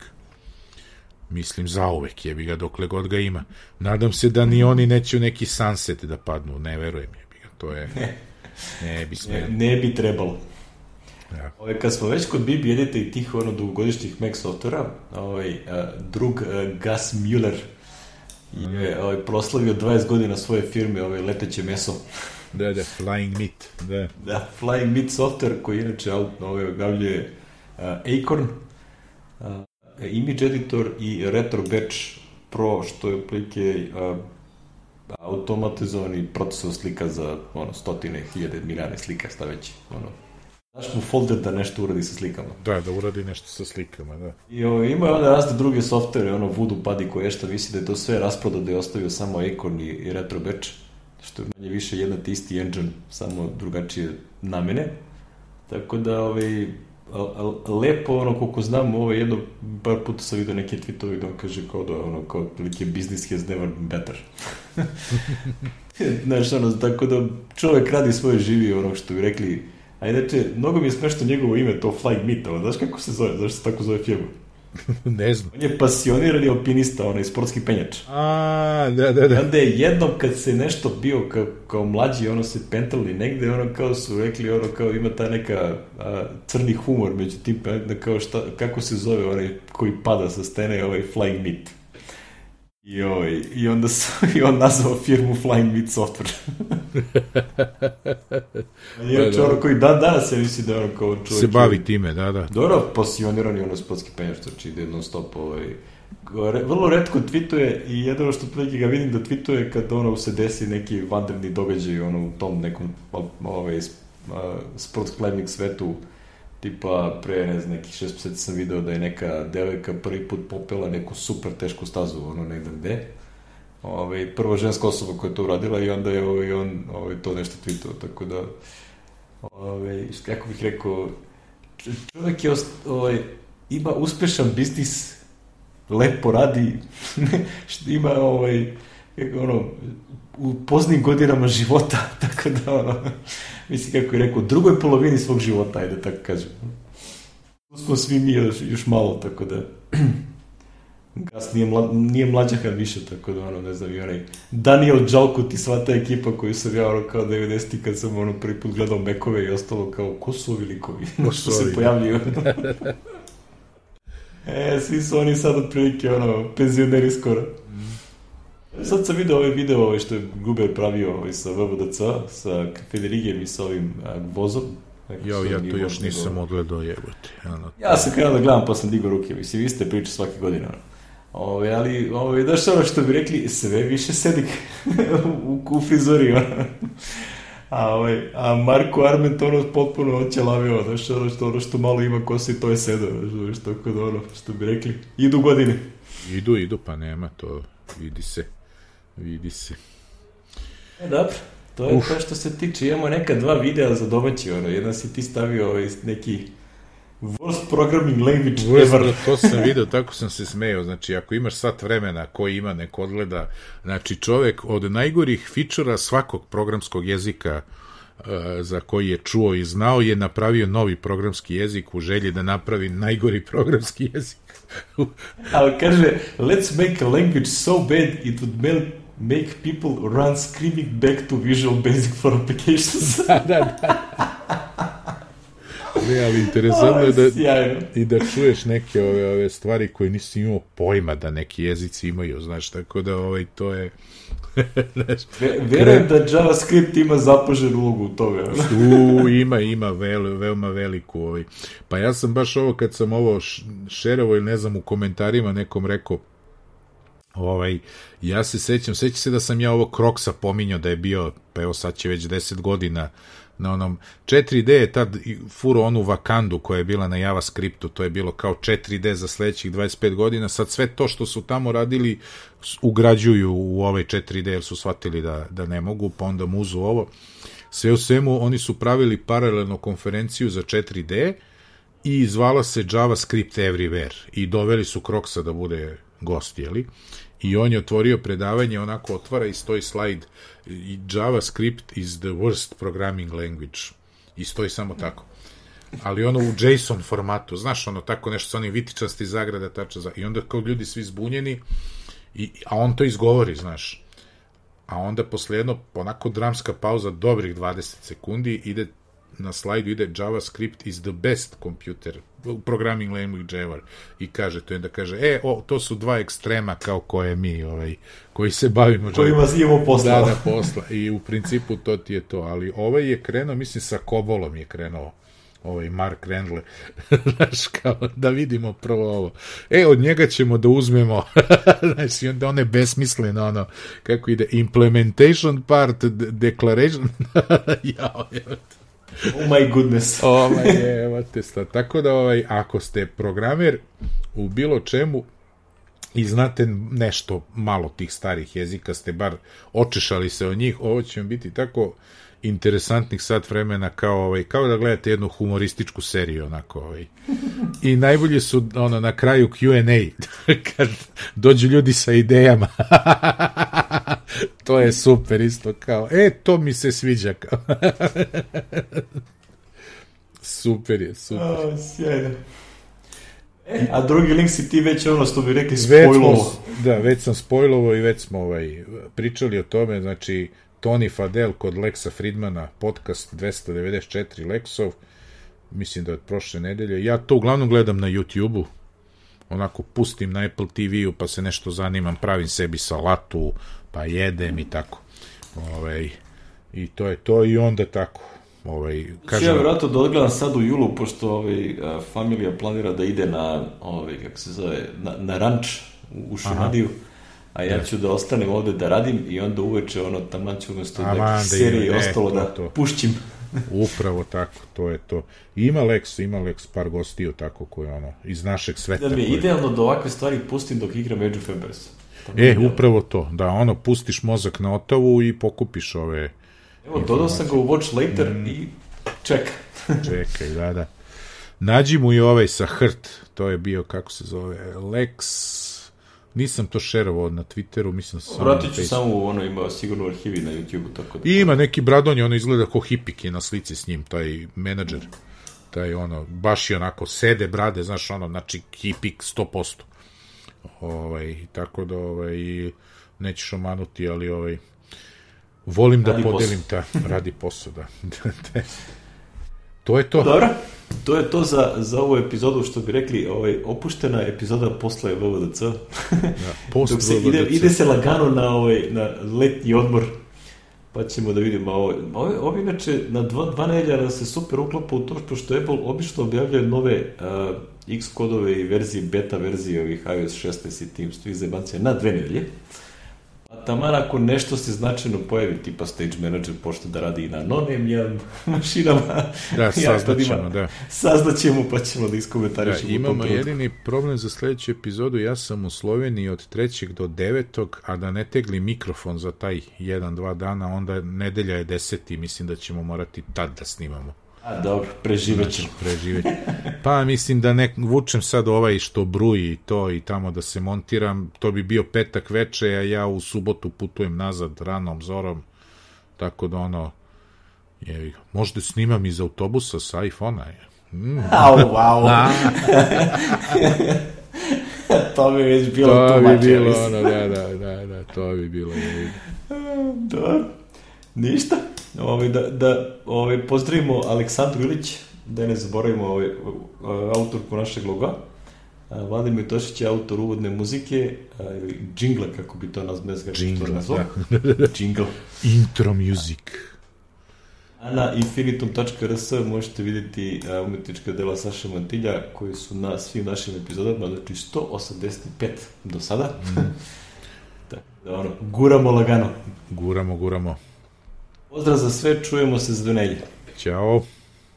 Mislim, zauvek jebi ga, dokle god ga ima. Nadam se da ni oni neće u neki sunset da padnu, ne verujem jebi ga, to je... Ne bi trebalo. Ja. Kad smo već kod BB edita i tih dugogodišnjih Mac softvera, drug Gus Mueller je proslavio 20 godina svoje firme, leteće meso. Da, Flying Meat. Da, Flying Meat software koji inače objavljuje Acorn, Image Editor i Retro Batch Pro, što je otprilike automatizovani procesor slika za stotine, hiljade, milijane slika, šta već. Daš mu folder da nešto uradi sa slikama. Da uradi nešto sa slikama, da. I ima razne druge softvere, Voodoo Buddy koje što misli da je to sve rasprodao, da je ostavio samo Acorn i Retro Batch, što je manje više jedna te isti engine, samo drugačije namene. Tako da, lepo, koliko znam, jedno par puta sam vidio neke tweetovi da on kaže kao da, kao prilike business has never been better. Znaš, tako da čovek radi svoje živi, što bi rekli. A inače, mnogo mi je smešno njegovo ime, to Flying Meat, znaš kako se zove, zašto se tako zove firma? Ne znam. On je pasionirani alpinista, sportski penjač. Da. I onda je jednom kad se nešto bio kao mlađi, se pentrali negde, kao su rekli, kao ima ta neka crni humor među tim, kao kako se zove onaj koji pada sa stene, Flying Meat. I onda on nazvao firmu Flying Meat Software. Je ono koji danas se misli da kao čovjek... Se bavi time, da. Dobro, pasionirani sportski penjač, znači ide non stop, vrlo retko tweetuje i jedino što prilike ga vidim da tweetuje kad se desi neki vanredni događaj u tom nekom sport climbing svetu, tipa pre, ne znam, nekih 6 meseci sam video da je neka devojka prvi put popela neku super tešku stazu, negde gde. Prva ženska osoba koja je to uradila i onda je on to nešto tweetao, tako da kako bih rekao, čovjek je ima uspešan biznis, lepo radi, ima u poznim godinama života, tako da mislim, kako je rekao, u drugoj polovini svog života, ajde tako kažem. Tu smo svi mi još malo, tako da Gas nije mlađahan više, tako da ne znam, i onaj Daniel Džalkut i sva ta ekipa koju sam ja kao 90-ti kad sam prvi put gledao Mekove i ostalo kao, ko su ovi likovi što se pojavljuju. Svi su oni sad otprilike penzioneri skoro. Sad sam vidio video što je Guber pravio sa VVDC, sa Federigijem i sa ovim Vozom. Ja to još nisam odgledao, jebote. Ja sam krenuo da gledam, pa sam digao ruke. Mislim, vi ste pričali svake godine. Ali, daš što bi rekli, sve više sedi u frizuri. A Marko Arment potpuno oćelavio, znaš, što malo ima kosi, to je sedao, znaš, tako da što bi rekli, idu godine. Idu, pa nema, to vidi se. Dobro, to je to što se tiče, imamo neka 2 videa za domaći, jedan si ti stavio neki worst programming language ever. To sam vidio, tako sam se smejao, znači ako imaš sat vremena koji ima nek odgleda, znači čovek od najgorih fičera svakog programskog jezika za koji je čuo i znao je napravio novi programski jezik u želji da napravi najgori programski jezik. Ali kaže, let's make a language so bad it would make people run screaming back to Visual Basic for applications. Da. ali interesantno je da čuješ neke ove stvari koje nisi imao pojma da neki jezici imaju, znaš, tako da to je... Verujem da JavaScript ima zapaženu ulogu u toga. Ima veoma veliku. Pa ja sam baš kad sam ovo šerovo ili ne znam u komentarima nekom rekao, ja se sećam se da sam ja ovo Crocsa pominjao da je bio, pa evo sad će već 10 godina na onom 4D je tad furo onu Wakandu koja je bila na JavaScriptu, to je bilo kao 4D za sledećih 25 godina, sad sve to što su tamo radili ugrađuju u ovaj 4D jer su shvatili da ne mogu, pa onda muzu ovo. Sve u svemu, oni su pravili paralelno konferenciju za 4D i zvala se JavaScript Everywhere i doveli su Crocsa da bude gost, jeli? I on je otvorio predavanje, onako otvara i stoji slajd JavaScript is the worst programming language. I stoji samo tako. Ali ono u JSON formatu, znaš, ono tako nešto sa onim vitičasti zagrada, i onda kao ljudi svi zbunjeni, a on to izgovori, znaš. A onda posle jedno, onako dramska pauza, dobrih 20 sekundi, na slajdu ide JavaScript is the best computer programming language ever i kaže to, onda kaže to su dva ekstrema kao koje mi koji se bavimo kojima imamo posla. Da, posla i u principu to ti je to, ali je krenuo, mislim sa Cobolom je krenuo Mark Randle, znaš, kao da vidimo prvo ovo. Od njega ćemo da uzmemo, znači, onda one besmisleno, kako ide, implementation part, declaration, oh my goodness. Tako da, ako ste programer u bilo čemu i znate nešto malo tih starih jezika, ste bar očešali se od njih, ovo će vam biti tako interesantnih sat vremena kao da gledate jednu humorističku seriju, onako, I najbolje su, na kraju Q&A, kad dođu ljudi sa idejama. To je super isto, kao, to mi se sviđa, kao. Super je, super. Sjajno. A drugi link si ti već što bi rekli spojlovo. Da, već sam spojlovo i već smo pričali o tome, znači Tony Fadell kod Lexa Fridmana, podcast 294 Lexov, mislim da je od prošle nedelje. Ja to uglavnom gledam na YouTube-u, onako pustim na Apple TV-u, pa se nešto zanimam, pravim sebi salatu, pa jedem i tako. I to je to, i onda tako. Ja vjerojatno da odgledam sad u julu, pošto familija planira da ide na, kako se zove, na ranč u Šumadiju, a ja ću da ostanem ovde da radim i onda uveče taman ću umesto serije ostalo da pušćim. Upravo tako, to je to. Ima Lex par gostiju tako koje iz našeg sveta. Da mi je idealno da ovakve stvari pustim dok igram Age of Empires. Upravo to, da pustiš mozak na Otavu i pokupiš ove... Evo, dodao sam ga u Watch Later i čekaj. Čekaj, da. Nađi mu i sa Hrt, to je bio, kako se zove, Lex... Nisam to šerovao na Twitteru, mislim sam... Vratit ću samo ima sigurno arhivi na YouTube-u, tako da... I ima neki bradonje, izgleda kao hipik je na slici s njim, taj menadžer, taj baš je onako, sede brade, znaš, znači hipik 100%. Tako da, nećeš omanuti, ali volim da podelim radi posao, da. To je to. Dobro, to je to za ovu epizodu, što bi rekli, opuštena epizoda posle VVDC. Dok se ide se lagano na letnji odmor, pa ćemo da vidimo. Ovo inače, na 2 nedelja se super uklapa u to što Apple obično objavljaju nove X-kodove i beta verzije ovih iOS 16 i tim svih zebancija na 2 nedelje. A taman ako nešto se značajno pojavi, tipa Stage Manager počne da radi i na non-emljam mašinama. Da, saznaćemo, da. Saznaćemo, pa ćemo da iskomentarišemo. Da, imamo jedini problem za sledeću epizodu, ja sam u Sloveniji od 3. do 9. a da ne tegli mikrofon za taj 1-2 dana, onda nedelja je 10. mislim da ćemo morati tad da snimamo. A dobro, preživećemo. Pa mislim da vučem sad što bruji i to i tamo da se montiram, to bi bio petak veče, a ja u subotu putujem nazad ranom zorom, tako da možda snimam iz autobusa sa iPhone-a. Wow. To bi već bilo tumače. Da, to bi bilo. Dobro, ništa. Da pozdravimo Aleksandru Ilić, da ne zaboravimo autorku našeg loga. Vladimir Tošić je autor uvodne muzike, ili džingla, kako bi to nazvao. Džingl. Intro music. A na infinitum.rs možete vidjeti umetnička dela Saša Mantilja, koji su na svim našim epizodama, znači 185 do sada. Tako da guramo lagano. Guramo. Pozdrav za sve, čujemo se za 2 nedelje. Ćao.